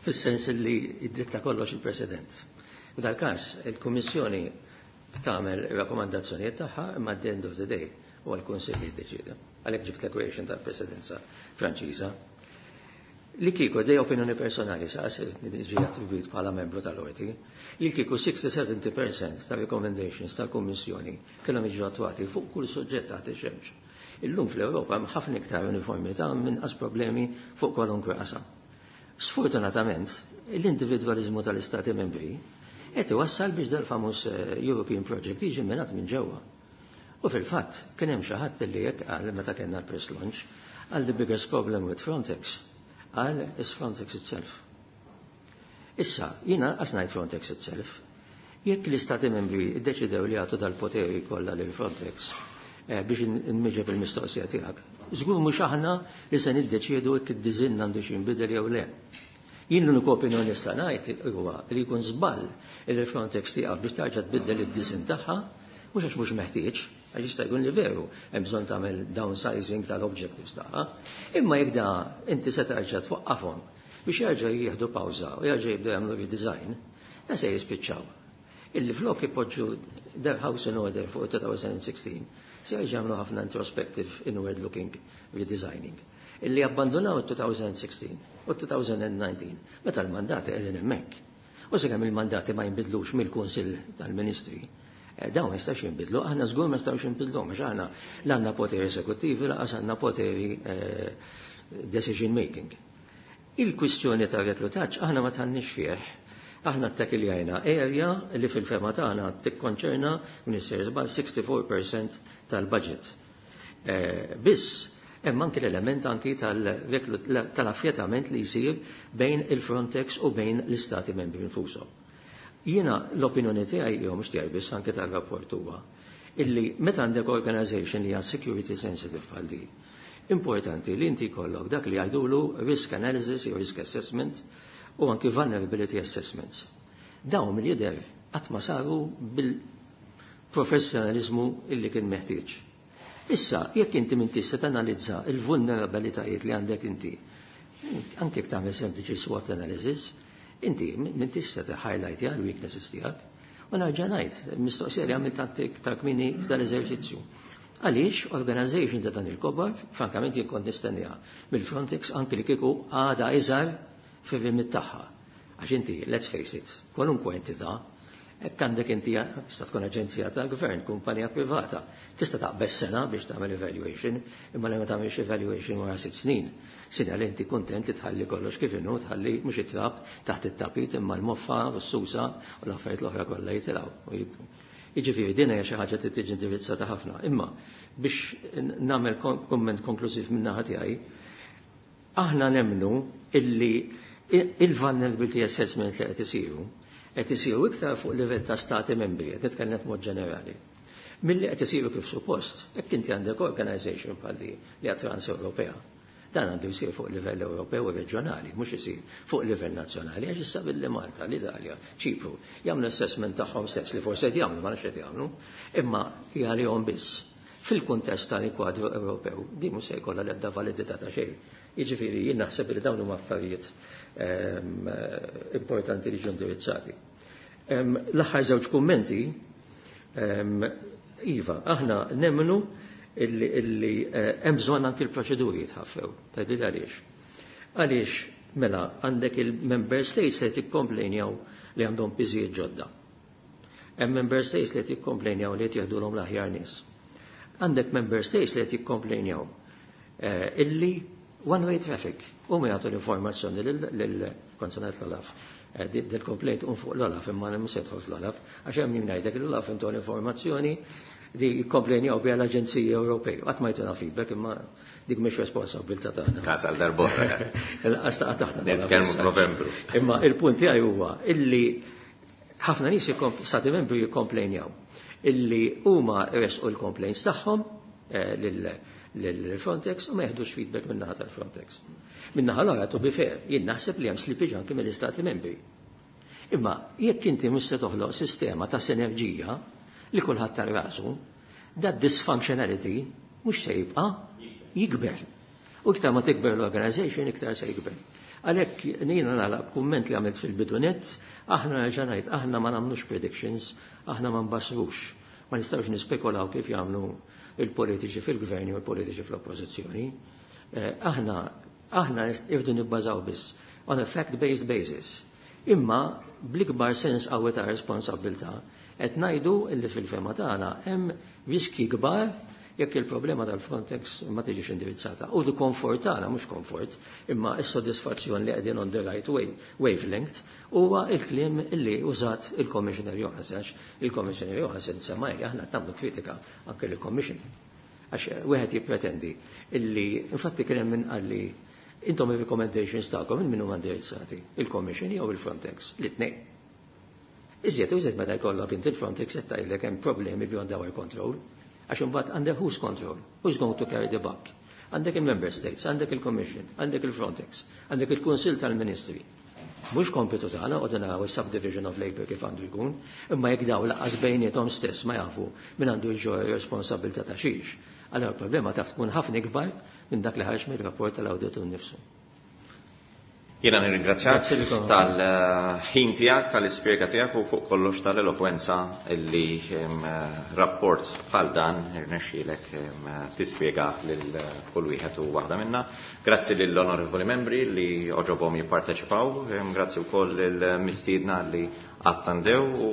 fis-sens li id-dritta kollox il-President. U dal-każ il-Kummissjoni tagħmel ir-rakkomandazzjonijiet tagħha imma at the end of the day huwa l-Kunsill li jiddeċiedi. Għalhekk ġibt l-equation tal-Presidenza Franċiża. Li kieku dej opinjoni personali sa ġi attribwit bħala membru tal-Qorti, li kieku sixty seventy percent ta' recommendations tal-Kummissjoni kellhom jiġu attwati fuq kull suġġett taħt ix-xemx. Illum fl-Ewropa hemm ħafna iktar uniformità minn inqas problemi fuq kwalunkwe qasam. Sfortunatament, l-individwaliżmu tal-Istati membri qed iwassal biex dal-famuż European Project jiġi minat minn ġewwa. U fil-fatt kien hemm xi ħadd li hekk qal meta kellna l-press launch, qal the biggest problem with Frontex, qal is Frontex itself. Issa, jiena qas ngħid Frontex itself, jekk l-Istati membri ddeċidew li jagħtu dal-poteri kollha lil Frontex biex nmiġeb il-mistoqsija tiegħek, żgur mhux aħna li se niddeċiedu jekk id-diżinn għandu xi jinbidel jew le. Jien l-uniku opinjoni nista' ngħid huwa li jkun żball li l-Frontex tieqaf biex tarġa' tbiddel id-diżinn tagħha, mhux għax mhux meħtieġ, għax jista' jkun li veru hemm bżonn tagħmel downsizing tal-objectives tagħha, imma jekk da inti se tarġa' twaqqafhom biex jerġa' jieħdu pawża u jerġa' jibdew jagħmlu redesign, da se jispiċċaw. Illi flok ipoġġu their house in order fuq twenty sixteen, se jerġa' jagħmlu ħafna introspective inward looking redesigning. Illi abbandonaw twenty sixteen u twenty nineteen meta l-mandati qegħdin hemmhekk. U sakemm il-mandati ma jinbidlux mill-Kunsill tal-Ministri, dawn ma jistax jinbidlu, aħna żgur ma jistgħux jinbidlu, għax aħna l għandna poteri eżekuttivi, lanqas għandna poteri decision making. Il-kwistjoni ta' reklutaġġ aħna ma tħannix fih. Aħna ttakkiljajna area li fil-fema tagħna tikkonċerna minn żball sixty-four percent tal-budget. Biss hemm anki l-element anki tal-affjetament li jsir bejn il-Frontex u bejn l-Istati membri nfushom. Jiena l-opinjoni tiegħi jew mhux tiegħi biss anke tar-rapport huwa illi meta għandek organization li hija security sensitive bħal di, importanti li inti jkollok dak li jgħidulu risk analysis jew risk assessment u anki vulnerability assessments. Dawn mill-jidher qatt ma saru bil-professjonalizmu illi kien meħtieġ. Issa, jekk inti minn tista' tanalizza il-vulnerabilitajiet li għandek inti, anke jekk tagħmel sempliċi SWOT analysis, inti minn tista' highlight l-weaknesses tiegħek. U nerġa' ngħid, mistoqsija li għamilt ta' kmini f'dan l-eżerċizzju. Għaliex organization ta' dan il-kobar, frankament jien kont nistenniha mill-Frontex anke li kieku għada iżgħar fir-rimit tagħha. Għax inti, let's face it, kwalunkwe entità Hekk għandek inti tista' tkun aġenzija tal-gvern, kumpanija privata. Tista' taqbeż sena biex tagħmel evaluation, imma li ma tagħmilx evaluation wara sitt snin. Sina li inti kuntent li tħalli kollox kif inhu, tħalli mhux it-trab taħt it-tapit imma l-moffa u s-susa u l-affarijiet l-oħra kollha jitilgħu. Jiġifieri din hija xi ħaġa li tiġi indirizzata ħafna. Imma biex nagħmel kumment konklużiv min-naħa tiegħi, aħna nemmnu illi il-vulnerability assessment li qed isiru qed isiru iktar fuq livell ta' stati membri, qed nitkellem b'mod ġenerali. Milli qed isiru kif suppost, hekk inti għandek organization bħal di li hija trans-Ewropea. Dan għandu jsir fuq livell Ewropew u reġjonali, mhux isir fuq livell nazzjonali, għax issa billi Malta, l-Italja, Ċipru, jagħmlu assessment tagħhom stess li forsi qed jagħmlu, ma nafx qed jagħmlu, imma hija għalihom biss. Fil-kuntest tal-kwadru Ewropew, di mhux se jkollha l-ebda validità ta' xejn. Jiġifieri jien naħseb li dawn huma affarijiet ehm, importanti li ġew indirizzati. Ehm, l-aħħar żewġ kummenti, ehm, iva, aħna nemmnu illi, illi eh, hemm bżonn anki l-proċeduri jitħaffew. Tgħidli għaliex. Għaliex mela għandek il-member states li tikkomplejnjaw li għandhom piżijiet ġodda. Hemm member states li tikkomplejnjaw li qed jieħdulhom l-aħjar nies. Għandek member states li qed jikkomplejnjaw eh, illi one-way traffic. U ma jagħtu l-informazzjoni lill-konsonat l-Olaf. Eh, Dil-complaint un fuq l-Olaf imma mhux se jidħol fl-Olaf għax hemm min ngħidlek l-Olaf intu l-informazzjoni di jikkomplejnjaw biha l-Aġenziji Ewropej. Qatt ma jtuna feedback imma dik mhix responsabilità tagħna. Każ għal darb'oħra. Il-qas taqa' taħna. Nitkellmu f'Novembru. Imma il-punt tiegħi huwa illi ħafna nies stati membri jikkomplejnjaw illi huma resqu l-complaints tagħhom eh, lil Frontex u ma jeħdux feedback min-naħa tal-Frontex. Min-naħa l-oħra, to be fair, jien naħseb li hemm slippage anke mill-istati membri. Imma jekk inti mhux se toħloq sistema ta' sinerġija li kulħadd tar rasu, that dysfunctionality mhux se jibqa' jikber. U iktar ma tikber l-organization, iktar se jikber. Għalhekk jiena nagħlaq kumment li għamilt fil-bidu nett, aħna nerġa' ngħid, aħna ma nagħmlux predictions, aħna ma nbassrux. Ma nistgħux nispekulaw kif jagħmlu il-politiċi fil-gvern u l-politiċi fl-oppożizzjoni. Eh, aħna aħna irdu nibbażaw biss on a fact-based basis. Imma bl-ikbar sens qawwi ta' responsabilità qed ngħidu illi fil-fehma tagħna hemm riski kbar jekk il-problema tal-Frontex ma tiġix indirizzata. U di komfort tagħna mhux komfort, imma s-sodisfazzjon li qegħdin on the right way, wavelength huwa il-kliem illi użat il-Commissioner Johansen. Il-Commissioner Johansen semma aħna qed nagħmlu kritika anke lill-Commission. Għax wieħed jippretendi illi infatti kien hemm min qalli intom il-recommendations tagħkom min huma indirizzati, il-Commission jew il-Frontex, l-itnejn. Iżjed u iżjed meta jkollok inti il-Frontex qed tgħidlek hemm problemi beyond our control. Għax imbagħad under whose control? Who's going to carry the buck? Għandek il-Member States, għandek il-Commission, għandek il-Frontex, għandek il-Kunsill tal-Ministri. Mhux kompitu tagħna qogħdu naraw is-subdivision of labor kif għandu jkun, imma jekk daw lanqas bejniethom stess ma jafu min għandu jġorr responsabilità ta' xiex. Allora il-problema taf tkun ħafna ikbar minn dak li ħareġ mir-rapport tal-awditur nnifsu. Jiena nirringrazzjak Grazzi lilkom. tal-ħin tiegħek, tal-ispjega tiegħek u fuq kollox tal-elokwenza illi em, rapport bħal dan irnexxielek em, tispjega lil kull wieħed u waħda minna. Grazzi lill-onorevoli membri li oġobhom jipparteċipaw, em, grazzi wkoll lill-mistiedna li attendew u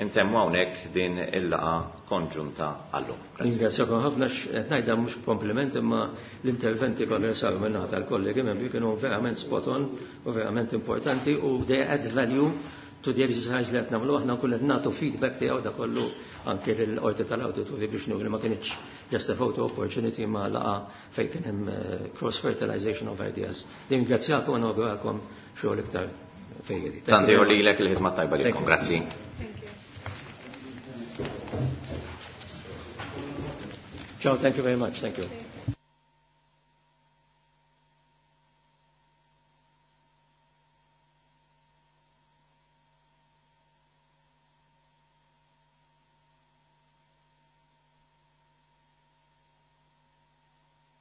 intemmu hawnhekk din il-laqgħa konġunta għallum. Grazzi. Ringrazzjakom ħafna qed ngħidha mhux kompliment imma l-interventi kollha saru minn tal-kollegi membri kienu verament spot on u verament importanti u they add value to the exercise li qed nagħmlu aħna kull qed nagħtu feedback tiegħu da kollu anke lill-qorti tal-awdituri biex nuri ma kinitx just a photo opportunity ma laqgħa fejn kien hemm eh, cross fertilization of ideas. Ringrazzjakom u nawguralkom xogħol iktar fejjedi. Tant ieħor lilek il-ħidma tajba lilkom. Grazzi. Ciao, thank you very much. Thank you.